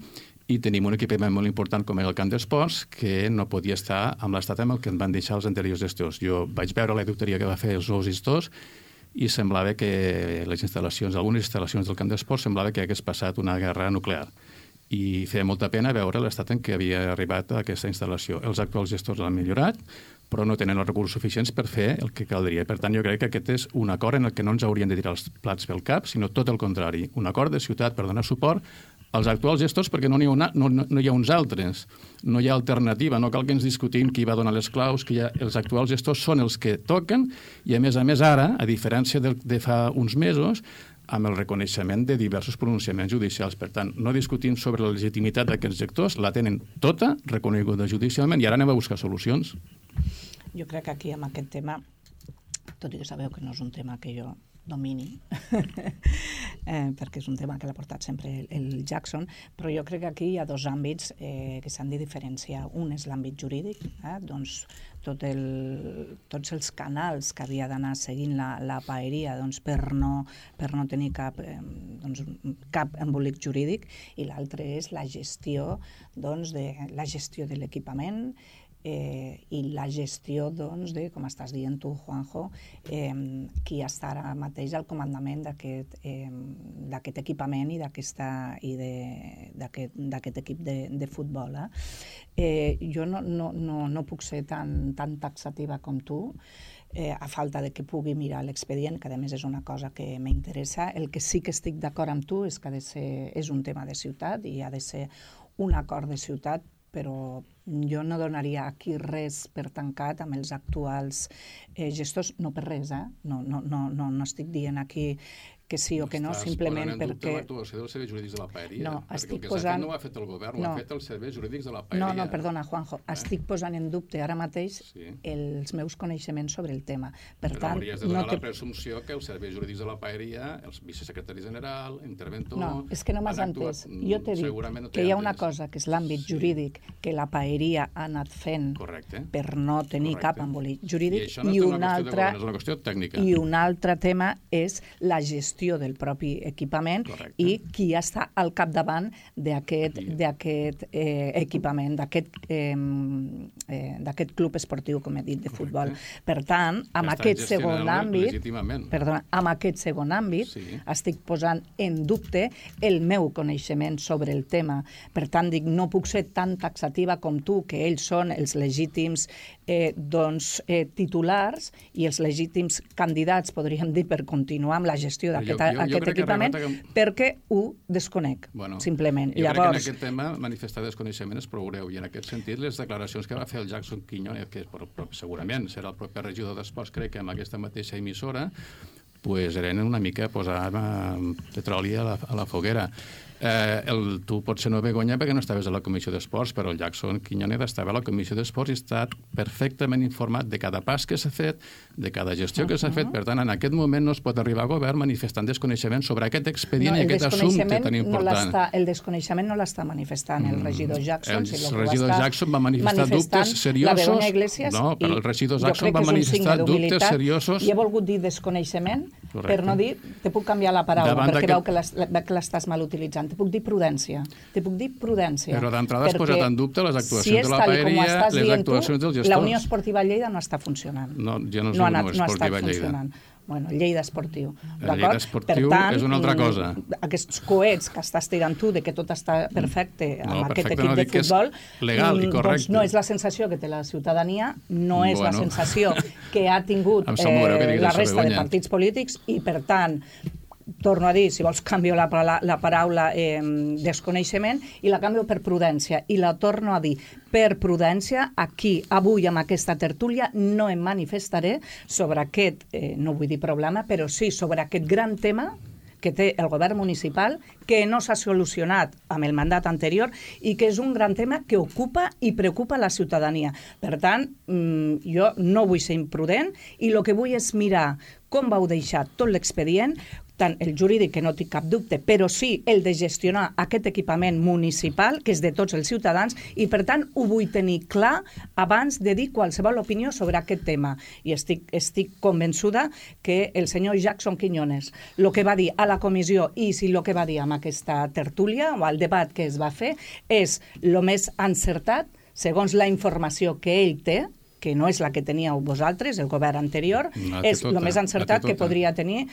i tenim un equipament molt important com era el camp d'esports que no podia estar amb l'estat amb el que en van deixar els anteriors gestors. Jo vaig veure la auditoria que va fer els nous gestors i semblava que les instal·lacions, algunes instal·lacions del camp d'esports semblava que hagués passat una guerra nuclear. I feia molta pena veure l'estat en què havia arribat a aquesta instal·lació. Els actuals gestors l'han millorat, però no tenen els recursos suficients per fer el que caldria. Per tant, jo crec que aquest és un acord en el que no ens haurien de tirar els plats pel cap, sinó tot el contrari. Un acord de ciutat per donar suport als actuals gestors perquè no hi ha uns altres, no hi ha alternativa, no cal que ens discutim qui va donar les claus, que els actuals gestors són els que toquen i a més ara, a diferència de fa uns mesos, amb el reconeixement de diversos pronunciaments judicials. Per tant, no discutim sobre la legitimitat d'aquests gestors, la tenen tota reconeguda judicialment i ara anem a buscar solucions. Jo crec que aquí amb aquest tema, tot i que sabeu que no és un tema que jo domini, perquè és un tema que l'ha portat sempre el Jackson, però jo crec que aquí hi ha dos àmbits que s'han de diferenciar. Un és l'àmbit jurídic, doncs tots els canals que havia d'anar seguint la paeria doncs, per no tenir cap embolic jurídic, i l'altre és la gestió de l'equipament i la gestió de, com estàs dient tu, Juanjo, qui està ara mateix al comandament d'aquest equipament i d'aquest equip de futbol. Jo no puc ser tan taxativa com tu, a falta de que pugui mirar l'expedient, que a més és una cosa que m'interessa. El que sí que estic d'acord amb tu és que és un tema de ciutat i ha de ser un acord de ciutat, però jo no donaria aquí res per tancat amb els actuals gestors, no per res, no estic dient aquí que sí o que no, simplement perquè... Estàs posant en dubte l'actuació dels serveis jurídics de la paeria? No, perquè el que s'ha fet no ho ha fet el govern, ho ha fet els serveis jurídics de la paeria. No, perdona, Juanjo, estic posant en dubte ara mateix els meus coneixements sobre el tema. Per tant, hauries de donar la presumpció que els serveis jurídics de la paeria, els vicesecretari general, interventor... No, és que no m'has entès. Jo t'he dit que hi ha una cosa que és l'àmbit jurídic que la paeria ha anat fent per no tenir cap embolic jurídic, i un altre tema és la gestió gestió del propi equipament. Correcte. I qui està al capdavant d'aquest equipament, d'aquest club esportiu, com he dit, de futbol. Per tant, amb aquest segon àmbit, estic posant en dubte el meu coneixement sobre el tema. Per tant, dic, no puc ser tan taxativa com tu, que ells són els legítims titulars i els legítims candidats, podríem dir, per continuar amb la gestió d'aquest equipament, perquè ho desconec, simplement. Jo crec que en aquest tema manifestar desconeixement és prou greu, i en aquest sentit les declaracions que va fer el Jackson Quiñones, que segurament serà el propi regidor d'Esports, crec que amb aquesta mateixa emissora, eren una mica posar petroli a la foguera. Tu potser no, Begoña, perquè no estaves a la Comissió d'Esports, però el Jackson Quiñones estava a la Comissió d'Esports i està perfectament informat de cada pas que s'ha fet, de cada gestió que s'ha fet. Per tant, en aquest moment no es pot arribar a govern manifestant desconeixement sobre aquest expedient i aquest assumpte tan important. El desconeixement no l'està manifestant el regidor Jackson. El regidor Jackson va manifestar dubtes seriosos. No, però el regidor Jackson va manifestar dubtes seriosos. I he volgut dir desconeixement per no dir, te puc canviar la paraula, perquè veu que l'estàs mal utilitzant. Te puc dir prudència. Però d'entrada has posat en dubte les actuacions de la paeria, les actuacions del gestor. La Unió Esportiva Lleida no està funcionant. No, jo no soc Unió Esportiva Lleida. Bueno, Lleida Esportiu. Lleida Esportiu és una altra cosa. Aquests coets que estàs tirant tu de que tot està perfecte amb aquest equip de futbol, legal i correcte. No és la sensació que té la ciutadania, no és la sensació que ha tingut la resta de partits polítics i, per tant, torno a dir, si vols canvio la paraula desconeixement i la canvio per prudència. I la torno a dir, per prudència, aquí, avui, amb aquesta tertúlia, no em manifestaré sobre aquest, no vull dir problema, però sí sobre aquest gran tema que té el govern municipal, que no s'ha solucionat amb el mandat anterior i que és un gran tema que ocupa i preocupa la ciutadania. Per tant, jo no vull ser imprudent i el que vull és mirar com vau deixar tot l'expedient, tant el jurídic, que no tinc cap dubte, però sí el de gestionar aquest equipament municipal, que és de tots els ciutadans, i per tant ho vull tenir clar abans de dir qualsevol opinió sobre aquest tema. I estic convençuda que el senyor Jackson Quiñones, el que va dir a la comissió i si el que va dir amb aquesta tertúlia o al debat que es va fer, és el més encertat, segons la informació que ell té, que no és la que teníeu vosaltres, el govern anterior, és el més encertat que podria tenir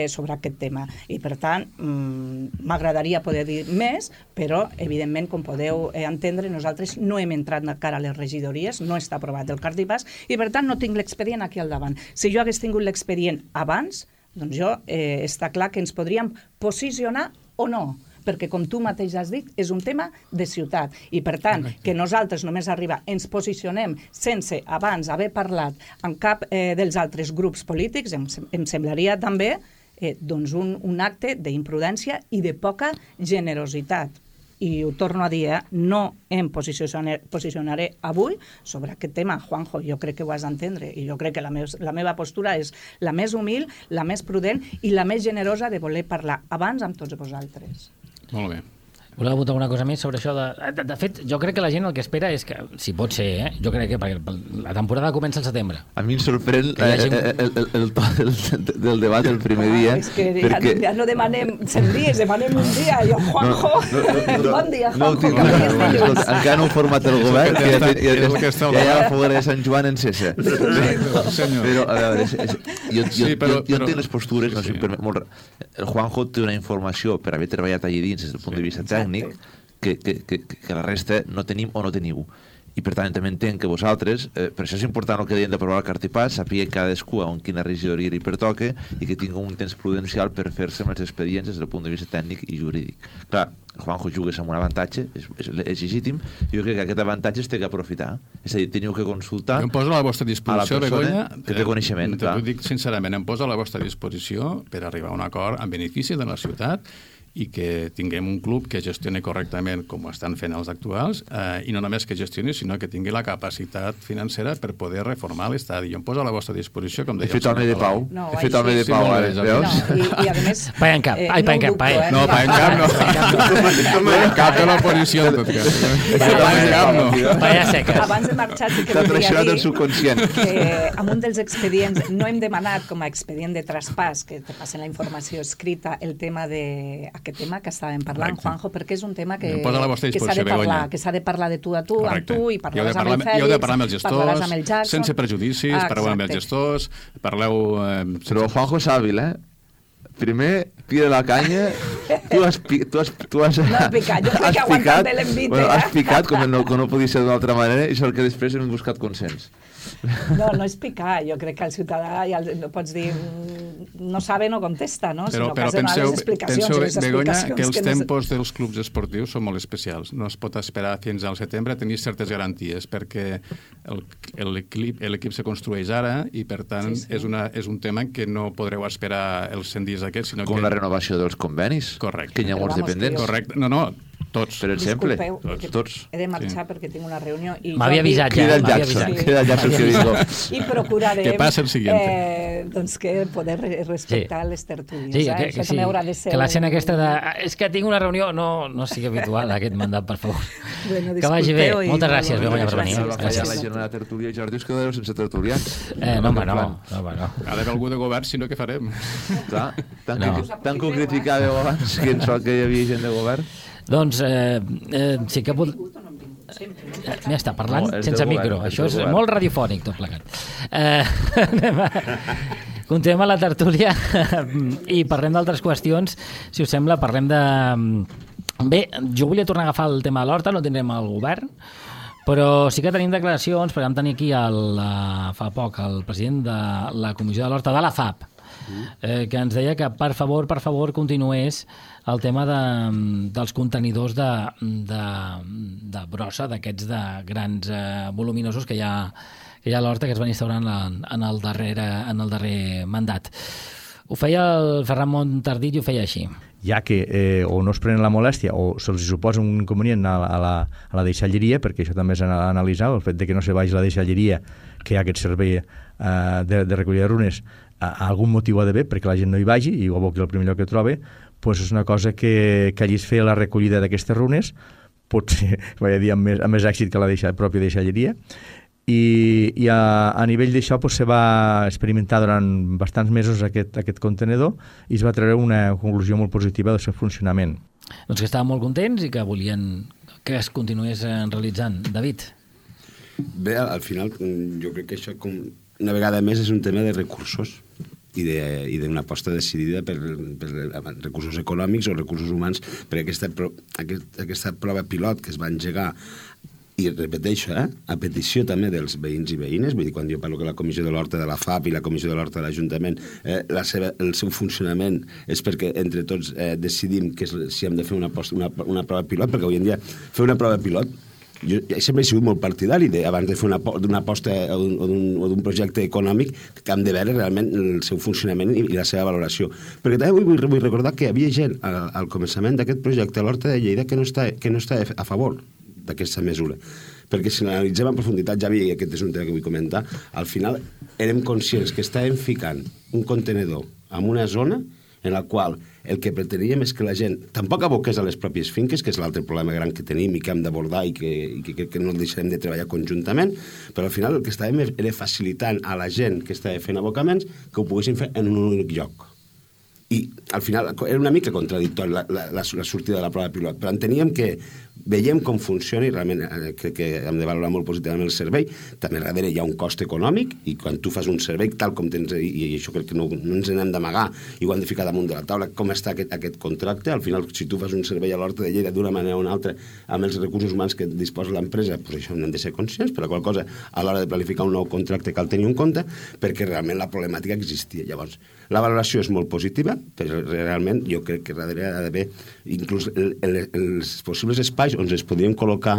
sobre aquest tema. I, per tant, m'agradaria poder dir més, però, evidentment, com podeu entendre, nosaltres no hem entrat encara a les regidories, no està aprovat el cartipàs, i, per tant, no tinc l'expedient aquí al davant. Si jo hagués tingut l'expedient abans, doncs jo està clar que ens podríem posicionar o no, perquè, com tu mateix has dit, és un tema de ciutat. I, per tant, que nosaltres només ens posicionem sense abans haver parlat amb cap dels altres grups polítics, em semblaria també un acte d'imprudència i de poca generositat. I ho torno a dir, no em posicionaré avui sobre aquest tema. Juanjo, jo crec que ho has d'entendre i jo crec que la meva postura és la més humil, la més prudent i la més generosa de voler parlar abans amb tots vosaltres. Molt bé. Voleu votar alguna cosa més sobre això? De fet, jo crec que la gent el que espera és que, si pot ser, jo crec que perquè la temporada comença al setembre. A mi em sorprèn el to del debat el primer dia. És que ja no demanem 100 dies, demanem un dia. Jo, Juanjo, bon dia, Juanjo. Encara no heu format el govern, que ja hi ha la foguera de Sant Joan en cessa. Però, a veure, jo entenc les postures, no sé, el Juanjo té una informació per haver treballat allà dins des del punt de vista tècnic que la resta no tenim o no teniu. I per tant també entenc que vosaltres, per això és important el que deien d'aprovar el cartipàs, sapigueu cadascú on quina regidoria li pertoca i que tingui un temps prudencial per fer-se amb els expedients des del punt de vista tècnic i jurídic. Clar, Juanjo jugues amb un avantatge, és legítim, i jo crec que aquest avantatge es té que aprofitar. És a dir, teniu que consultar jo em poso a la vostra disposició, Begoña, que té coneixement. T'ho dic sincerament, em poso a la vostra disposició per arribar a un acord en benefici de la ciutat i que tinguem un club que gestioni correctament com ho estan fent els actuals, i no només que gestioni, sinó que tingui la capacitat financera per poder reformar l'estadi. Jo em poso a la vostra disposició, com deia... He fet el de Pau. He fet el de Pau, veus? I a més... Pa en cap. Ai, pa en cap. No, pa en cap no. Cap de l'oposició, en tot cas. Pa en cap no. Vaya seques. Abans de marxar, sí que T'ha voldria traicionat dir el subconscient. que amb un dels expedients no hem demanat com a expedient de traspàs, que te passen la informació escrita, el tema aquest tema que estàvem parlant, correcte. Juanjo, perquè és un tema que s'ha de parlar de tu a tu, amb tu, i parlaràs amb el Fèlix, heu de parlar amb els parlaràs gestors, amb el Jackson. sense prejudicis, parleu amb els gestors, parleu... Però Juanjo és hàbil, Primer, pide la canya, tu has No has picat, jo crec que ha aguantat bé l'envit, Has picat, com no podia ser d'una altra manera, i sort que després hem buscat consens. No és picar, jo crec que el ciutadà ja no pots dir no sabe, no contesta, no? Però que has de donar les explicacions, Begoña, que els tempos dels clubs esportius són molt especials. No es pot esperar fins al setembre a tenir certes garanties, perquè l'equip se construeix ara i, per tant, és un tema que no podreu esperar els 100 dies aquests, sinó Com la renovació dels convenis. Correcte. Que hi ha molts dependents. Correcte. No, tots. Per exemple. Disculpeu, tots. He de marxar perquè tinc una reunió. M'havia avisat ja. Crida el Jackson que vingo. I procurarem que passa el siguiente. Doncs que poder respectar les tertúlies. Sí, Això també haurà de ser... Que l'escena aquesta de... És que tinc una reunió... No sigui habitual, aquest mandat, per favor. Bueno, que vagi bé. Moltes gràcies, Begoña, per venir. Gràcies. La jornada de tertúlia, Jordi, us quedareu sense tertulians. No. Ha d'haver algú de govern, si no, què farem? Clar, tant que ho criticàveu abans, que en sort que hi havia gent de govern. Doncs sí que ja està parlant sense micro. Això és molt radiofònic, tot plegat. Continuem a la tertúlia i parlem d'altres qüestions. Si us sembla, parlem de... Bé, jo volia tornar a agafar el tema de l'Horta, no tindrem el govern, però sí que tenim declaracions, perquè vam tenir aquí fa poc el president de la Comissió de l'Horta de la FAP, que ens deia que per favor continués el tema dels contenidors de brossa, d'aquests de grans voluminosos que hi ha a l'Horta, que es van instaurar en el darrer mandat. Ho feia el Ferran Montardit i ho feia així. Ja que o no es prenen la molèstia o se'ls suposa un inconvenient a la deixalleria, perquè això també és analitzar, el fet de que no se vagi la deixalleria, que hi ha aquest servei de recollida de runes, algun motiu ha d'haver perquè la gent no hi vagi i ho aboqui al primer lloc que troba, doncs és una cosa que hagis fer la recollida d'aquestes runes, potser amb més èxit que la pròpia deixalleria. I a nivell d'això se va experimentar durant bastants mesos aquest contenedor i es va treure una conclusió molt positiva del seu funcionament. Doncs que estaven molt contents i que volien que es continués realitzant. David? Bé, al final jo crec que això una vegada més és un tema de recursos i d'una aposta decidida per recursos econòmics o recursos humans, perquè aquesta prova pilot que es va engegar, i repeteixo, a petició també dels veïns i veïnes, vull dir, quan jo parlo que la Comissió de l'Horta de la FAP i la Comissió de l'Horta de l'Ajuntament, el seu funcionament és perquè entre tots decidim si hem de fer una prova pilot, perquè avui en dia fer una prova pilot, jo sempre he sigut molt partidari abans de fer d'una aposta o d'un projecte econòmic, que hem de veure realment el seu funcionament i la seva valoració. Perquè també vull recordar que hi havia gent al començament d'aquest projecte a l'Horta de Lleida que no està a favor d'aquesta mesura. Perquè si l'analitzem en profunditat, ja vi, aquest és un tema que vull comentar, al final érem conscients que estàvem ficant un contenedor en una zona en la qual el que preteníem és que la gent tampoc aboqués a les pròpies finques, que és l'altre problema gran que tenim i que hem d'abordar i que no deixarem de treballar conjuntament, però al final el que estàvem era facilitant a la gent que estava fent abocaments que ho poguessin fer en un únic lloc. I al final era una mica contradictori la sortida de la prova pilot, però enteníem que veiem com funciona i realment crec que hem de valorar molt positivament el servei. També darrere hi ha un cost econòmic i quan tu fas un servei tal com tens, i això crec que no ens n'hem d'amagar i ho hem de ficar damunt de la taula, com està aquest contracte. Al final, si tu fas un servei a l'Horta de Lleida d'una manera o una altra amb els recursos humans que disposa l'empresa, doncs això n'hem de ser conscients, però qual cosa a l'hora de planificar un nou contracte cal tenir en compte perquè realment la problemàtica existia. Llavors, la valoració és molt positiva, però realment jo crec que darrere ha d'haver inclús els possibles espais espais on es podrien col·locar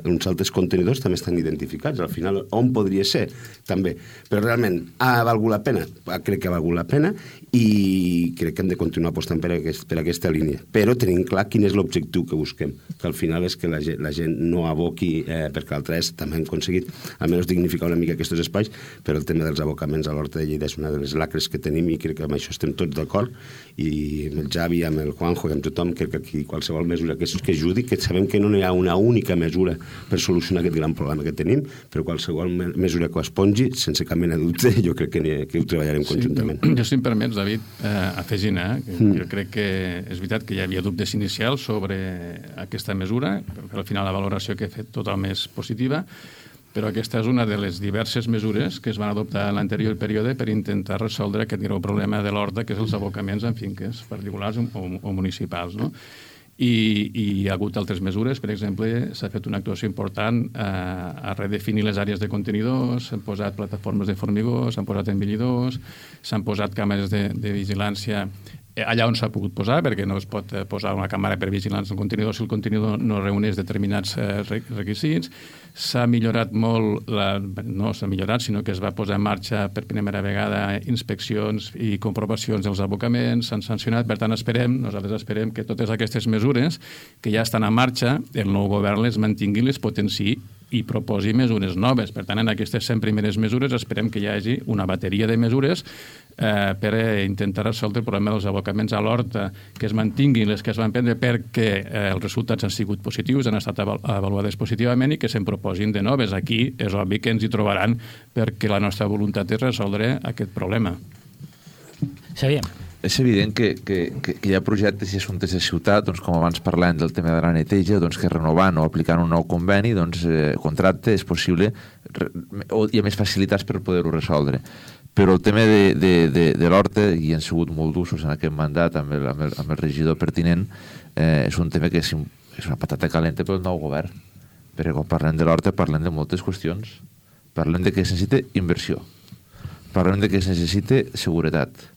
uns altres contenidors també estan identificats. Al final, on podria ser? També. Però realment, ha valgut la pena? Crec que ha valgut la pena i crec que hem de continuar apostant per aquesta línia. Però tenim clar quin és l'objectiu que busquem, que al final és que la gent no aboqui, perquè l'altra és, també hem aconseguit almenys dignificar una mica aquests espais, però el tema dels abocaments a l'Horta de Lleida és una de les lacres que tenim i crec que amb això estem tots d'acord, i amb el Javi, amb el Juanjo i amb tothom, crec que aquí qualsevol mesura que ajudi, que sabem que no hi ha una única mesura per solucionar aquest gran problema que tenim, però qualsevol mesura que ho espongi, sense cap mena de dubte, jo crec que ho treballarem conjuntament. Jo, si em permets, David, afegint, jo crec que és veritat que hi havia dubtes inicials sobre aquesta mesura, perquè al final la valoració que he fet totalment és positiva, però aquesta és una de les diverses mesures que es van adoptar en l'anterior període per intentar resoldre aquest greu problema de l'Horta, que és els abocaments en finques particulars o municipals, no? I hi ha hagut altres mesures. Per exemple, s'ha fet una actuació important a redefinir les àrees de contenidors, s'han posat plataformes de formigó, s'han posat envellidors, s'han posat càmeres de vigilància allà on s'ha pogut posar, perquè no es pot posar una càmera per vigilància al contenidor si el contenidor no reuneix determinats requisits. S'ha millorat molt, no s'ha millorat, sinó que es va posar en marxa per primera vegada inspeccions i comprovacions dels abocaments, s'han sancionat. Per tant, nosaltres esperem que totes aquestes mesures que ja estan en marxa, el nou govern les mantingui, les potenciï i proposi mesures noves. Per tant, en aquestes 100 primeres mesures esperem que hi hagi una bateria de mesures per intentar resoldre el problema dels abocaments a l'Horta, que es mantinguin les que es van prendre perquè els resultats han sigut positius, han estat avaluades positivament i que se'n proposin de noves. Aquí és obvi que ens hi trobaran perquè la nostra voluntat és resoldre aquest problema. Xavier. És evident que hi ha projectes i assumptes de ciutat, doncs, com abans parlem del tema de la neteja, doncs, que renovant o aplicant un nou conveni, doncs, contracte és possible, hi ha més facilitats per poder-ho resoldre. Però el tema de l'Horta, i han sigut molt d'usos en aquest mandat amb el regidor pertinent, és un tema que és una patata calenta pel nou govern. Perquè quan parlem de l'Horta parlem de moltes qüestions. Parlem de que es necessita inversió. Parlem de que es necessita seguretat.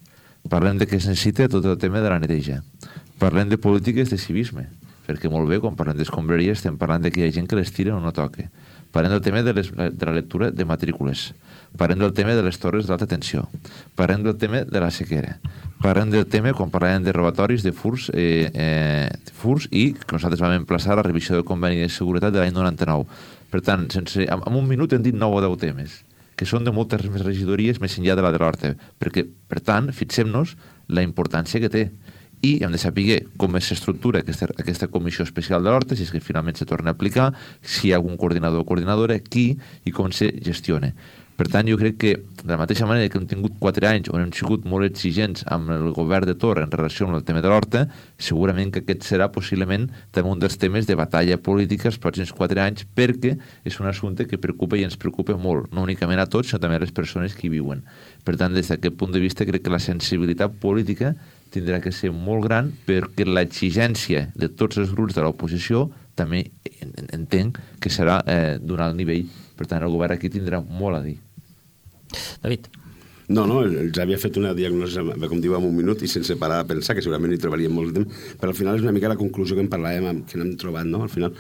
Parlem de que es necessita tot el tema de la neteja. Parlem de polítiques de civisme, perquè molt bé, quan parlem d'escombraries, estem parlant de que hi ha gent que les tira o no toca. Parlem del tema de la lectura de matrícules. Parlem del tema de les torres d'alta tensió. Parlem del tema de la sequera. Parlem del tema, quan parlem de robatoris, de furs i que nosaltres vam emplaçar a la revisió del conveni de seguretat de l'any 99. Per tant, en un minut hem dit 9 o 10 temes, que són de moltes més regidories més enllà de la de l'Horta, perquè, per tant, fixem-nos la importància que té. I hem de saber com s'estructura aquesta comissió especial de l'Horta, si és que finalment se torna a aplicar, si hi ha algun coordinador o coordinadora, qui i com se gestiona. Per tant, jo crec que, de la mateixa manera que hem tingut 4 anys on hem sigut molt exigents amb el govern de Torra en relació amb el tema de l'Horta, segurament que aquest serà possiblement també un dels temes de batalla política els pròxims 4 anys, perquè és un assumpte que preocupa i ens preocupa molt, no únicament a tots, sinó també a les persones que hi viuen. Per tant, des d'aquest punt de vista, crec que la sensibilitat política tindrà que ser molt gran, perquè l'exigència de tots els grups de l'oposició també entenc que serà d'un alt nivell. Per tant, el govern aquí tindrà molt a dir. David. No, el Javi ha fet una diagnosi, com diu, en un minut i sense parar de pensar, que segurament hi trobaríem molt de temps, però al final és una mica la conclusió que en parlàvem, que n'hem trobat, no? Al final,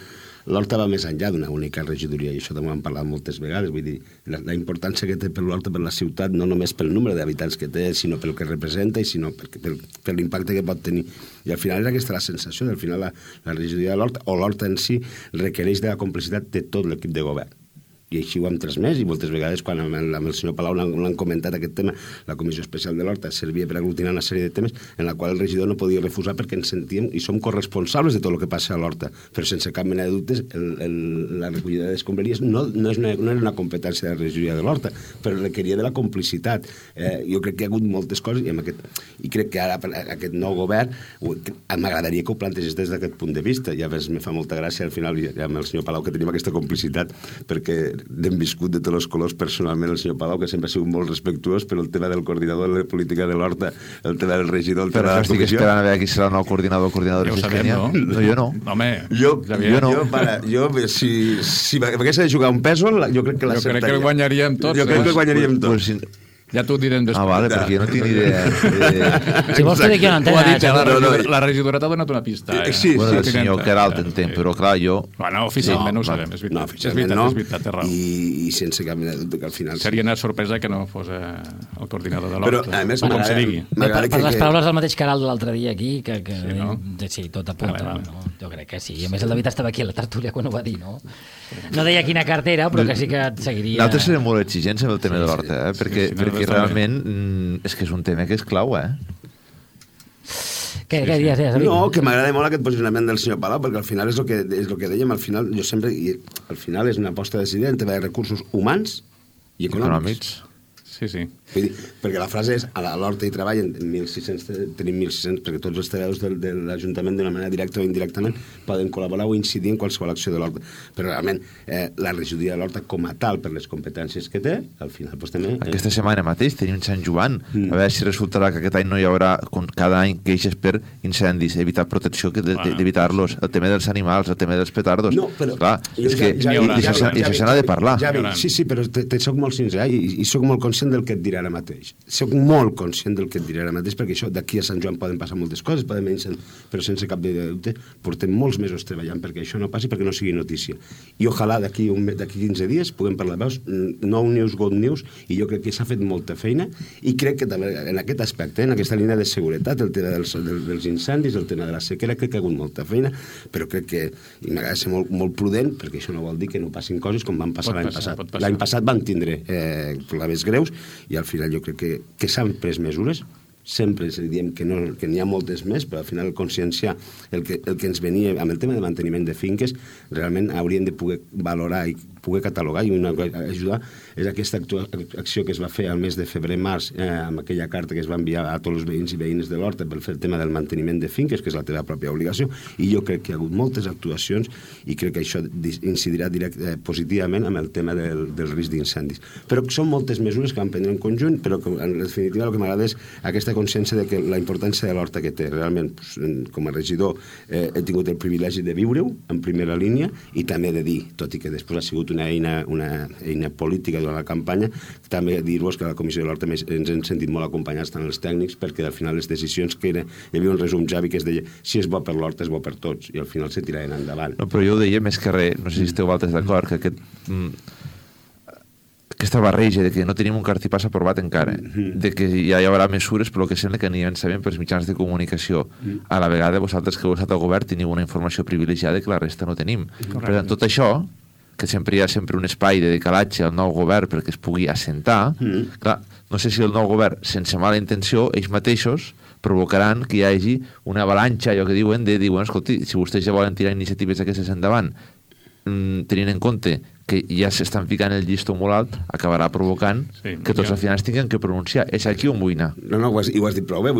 l'Horta va més enllà d'una única regidoria, i això també ho hem parlat moltes vegades, vull dir, la importància que té per l'Horta, per la ciutat, no només pel nombre d'habitants que té, sinó pel que representa i sinó per l'impacte que pot tenir. I al final és aquesta la sensació, al final la regidoria de l'Horta, o l'Horta en si, requereix de la complicitat de tot l'equip de govern. I així ho hem transmès, i moltes vegades quan amb el senyor Palau l'han comentat aquest tema, la Comissió Especial de l'Horta servia per aglutinar una sèrie de temes en la qual el regidor no podia refusar perquè ens sentíem i som corresponsables de tot el que passa a l'Horta, però sense cap mena de dubtes la recollida d'escombraries no era una competència de la regidoria de l'Horta, però requeria de la complicitat. Jo crec que hi ha hagut moltes coses i crec que ara aquest nou govern m'agradaria que ho plantegés des d'aquest punt de vista. Ja me fa molta gràcia al final amb el senyor Palau que tenim aquesta complicitat, perquè n'hem viscut de tots els colors personalment el senyor Palau, que sempre ha sigut molt respectuós, però el tema del coordinador de la política de l'Horta, el tema del regidor, el tema de la comissió... Estic esperant a veure qui serà el nou coordinador o coordinadora. Ja ho sabem, no? No, jo no. Home, jo si m'hagués de jugar un pèsol, jo crec que el guanyaríem tots. Jo crec que el guanyaríem tots. Ja t'ho direm després. Vale, perquè jo no tinc idea. Si vols que d'aquí una Ho ha dit ja, antena... la regidora t'ha donat una pista. Sí, Bueno, el senyor Queralt entenc, però clar, jo... Bueno, oficialment no ho sabem, és veritat. No, oficialment no. És veritat, té raó. I sense cap mena de dubte que al final... Seria una sorpresa que no fos el coordinador de Però, l'Horta, a més, com se digui. Per les paraules del mateix Caral de l'altre dia aquí, que Sí, no? sí, tot apunta. Vale. No? Jo crec que sí. I a més el David estava aquí a la tertúlia quan ho va dir, no? No deia quina cartera, però que sí que et seguiria... Nosaltres serem molt exigents amb el tema de l'Horta, perquè realment és que és un tema que és clau, Què diries, David? No, que m'agrada molt aquest posicionament del senyor Palau, perquè al final és el que dèiem, al final jo sempre... Al final és una aposta decidida entre de recursos humans i econòmics. Sí, sí. Vull dir, perquè la frase és, a l'Horta hi treballen 1.600, tenim 1.600, perquè tots els treballadors de l'Ajuntament d'una manera directa o indirectament poden col·laborar o incidir en qualsevol acció de l'Horta. Però realment la regidoria de l'Horta com a tal, per les competències que té, al final doncs, també... Aquesta setmana mateix tenim Sant Joan, a veure si resultarà que aquest any no hi haurà, com cada any, queixes per incendis, evitar protecció, d'evitar-los, el tema dels animals, el tema dels petardos. No, però... Clar, és que això s'ha de parlar. Sí, però soc molt sincer i soc molt conscient del que et diré ara mateix. Soc molt conscient del que et diré ara mateix, perquè això d'aquí a Sant Joan poden passar moltes coses, però sense cap de dubte portem molts mesos treballant perquè això no passi, perquè no sigui notícia. I ojalà d'aquí 15 dies puguem parlar, veus, no news, good news, i jo crec que s'ha fet molta feina, i crec que també en aquest aspecte, en aquesta línia de seguretat, el tema dels incendis, el tema de la sequera, crec que ha hagut molta feina, però crec que m'agrada ser molt prudent, perquè això no vol dir que no passin coses com van passar l'any passat. L'any passat van tindre problemes greus, i al final jo crec que s'han pres mesures, sempre diem que n'hi ha moltes més, però al final conscienciar el que ens venia amb el tema de manteniment de finques, realment hauríem de poder valorar i poder catalogar i ajudar. És aquesta acció que es va fer al mes de febrer-març amb aquella carta que es va enviar a tots els veïns i veïnes de l'Horta per fer el tema del manteniment de finques, que és la teva pròpia obligació, i jo crec que hi ha hagut moltes actuacions i crec que això incidirà positivament amb el tema del risc d'incendis. Però són moltes mesures que van prendre en conjunt, però en definitiva el que m'agrada és aquesta consciència de que la importància de l'Horta que té. Realment, com a regidor, he tingut el privilegi de viure-ho en primera línia i també de dir, tot i que després ha sigut una eina política durant la campanya, també dir-vos que a la Comissió de l'Horta ens hem sentit molt acompanyats tant els tècnics, perquè al final les decisions que hi havia un resum, Javi, que es deia si és bo per l'Horta és bo per tots, i al final se tiraven endavant. No, però jo ho deia més que res, no sé si esteu altres d'acord, que aquesta barreja de que no tenim un cartipàs aprovat encara, de que ja hi haurà mesures, però que sembla que n'hi sabem pels mitjans de comunicació. A la vegada, vosaltres que heu estat al govern teniu una informació privilegiada que la resta no tenim. Per tant, tot això, que sempre hi ha un espai de decalatge al nou govern perquè es pugui assentar, clar, no sé si el nou govern, sense mala intenció, ells mateixos provocaran que hi hagi una avalanxa, allò que diuen, escolti, si vostès ja volen tirar iniciatives d'aquestes endavant, tenint en compte que ja s'estan ficant el llistó molt alt, acabarà provocant que tots al final es tinguin que pronunciar. És aquí on vull anar. No, ho has dit prou bé.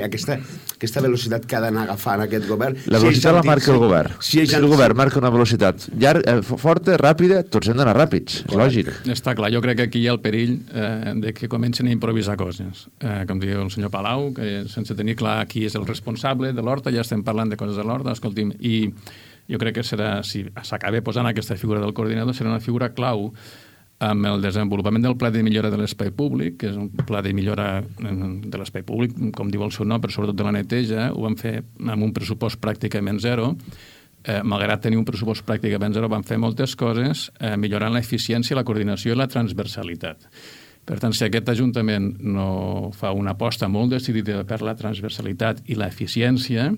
Aquesta velocitat que ha d'anar agafant aquest govern... La velocitat la marca el govern. Si el govern marca una velocitat forta, ràpida, tots hem d'anar ràpids. És lògic. Està clar. Jo crec que aquí hi ha el perill de que comencen a improvisar coses. Com diu el senyor Palau, que sense tenir clar qui és el responsable de l'Horta, ja estem parlant de coses de l'Horta, escolti'm, i jo crec que serà, si s'acaba posant aquesta figura del coordinador, serà una figura clau amb el desenvolupament del pla de millora de l'espai públic, que és un pla de millora de l'espai públic, com diu el seu nom, però sobretot de la neteja. Ho vam fer amb un pressupost pràcticament zero. Malgrat tenir un pressupost pràcticament zero, vam fer moltes coses millorant l'eficiència, la coordinació i la transversalitat. Per tant, si aquest Ajuntament no fa una aposta molt decidida per la transversalitat i l'eficiència,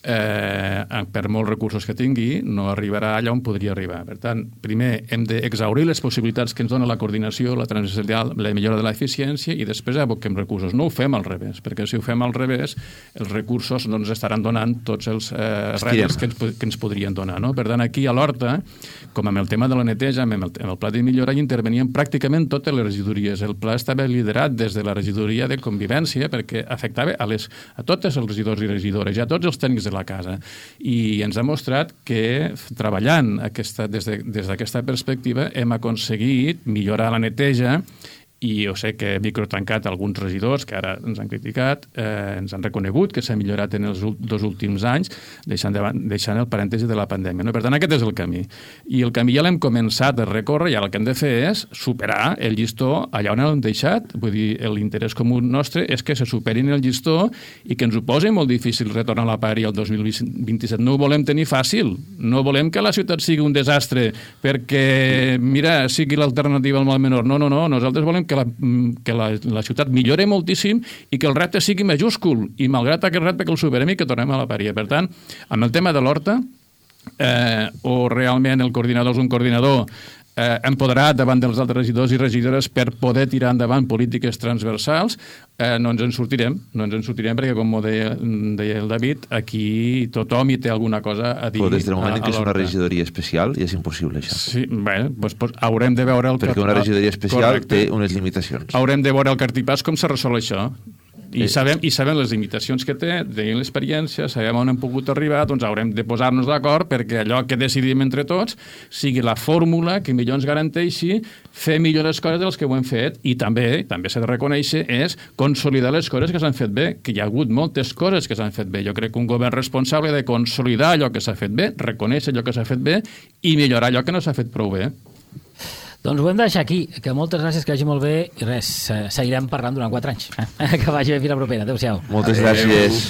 per molts recursos que tingui, no arribarà allà on podria arribar. Per tant, primer hem d'exhaurir les possibilitats que ens dona la coordinació, la transversalitat, la millora de l'eficiència, i després aboquem recursos. No ho fem al revés, perquè si ho fem al revés, els recursos no ens estaran donant tots els reptes que ens podrien donar. No? Per tant, aquí a l'Horta, com amb el tema de la neteja, amb el pla de millora, hi intervenien pràcticament totes les regidories. El pla estava liderat des de la regidoria de convivència, perquè afectava a totes els regidors i regidores, i a tots els tècnics de la casa. I ens ha mostrat que treballant des d'aquesta perspectiva hem aconseguit millorar la neteja i jo sé que he microtancat alguns regidors que ara ens han criticat, ens han reconegut que s'ha millorat en els 2 últims anys, deixant el parèntesi de la pandèmia. No? Per tant, aquest és el camí. I el camí ja l'hem començat a recórrer i ara el que hem de fer és superar el llistó allà on l'hem deixat. Vull dir, l'interès comú nostre és que se superin el llistó i que ens ho posi molt difícil retornar a la pari el 2027. No ho volem tenir fàcil. No volem que la ciutat sigui un desastre perquè, mira, sigui l'alternativa al mal menor. No. Nosaltres volem que la ciutat millore moltíssim i que el repte sigui majúscul i malgrat aquest repte que el superem i que tornem a la paria. Per tant, amb el tema de l'horta, o realment el coordinador és un coordinador empoderat davant dels altres regidors i regidores per poder tirar endavant polítiques transversals, no ens en sortirem perquè, com ho deia el David, aquí tothom hi té alguna cosa a dir. Però des del moment que és una regidoria especial ja és impossible, això. Sí, bé, doncs haurem de veure... Perquè una regidoria especial té unes limitacions. Haurem de veure el cartipàs com se resol això. I sabem les limitacions que té, tenim l'experiència, sabem on hem pogut arribar, doncs haurem de posar-nos d'acord perquè allò que decidim entre tots sigui la fórmula que millor ens garanteixi fer millor les coses dels que ho hem fet i també s'ha de reconèixer és consolidar les coses que s'han fet bé, que hi ha hagut moltes coses que s'han fet bé. Jo crec que un govern responsable ha de consolidar allò que s'ha fet bé, reconèixer allò que s'ha fet bé i millorar allò que no s'ha fet prou bé. Doncs ho hem de deixar aquí, que moltes gràcies, que vagi molt bé i res, seguirem parlant durant 4 anys. Que vagi bé, fins la propera. Adéu-siau. Moltes gràcies.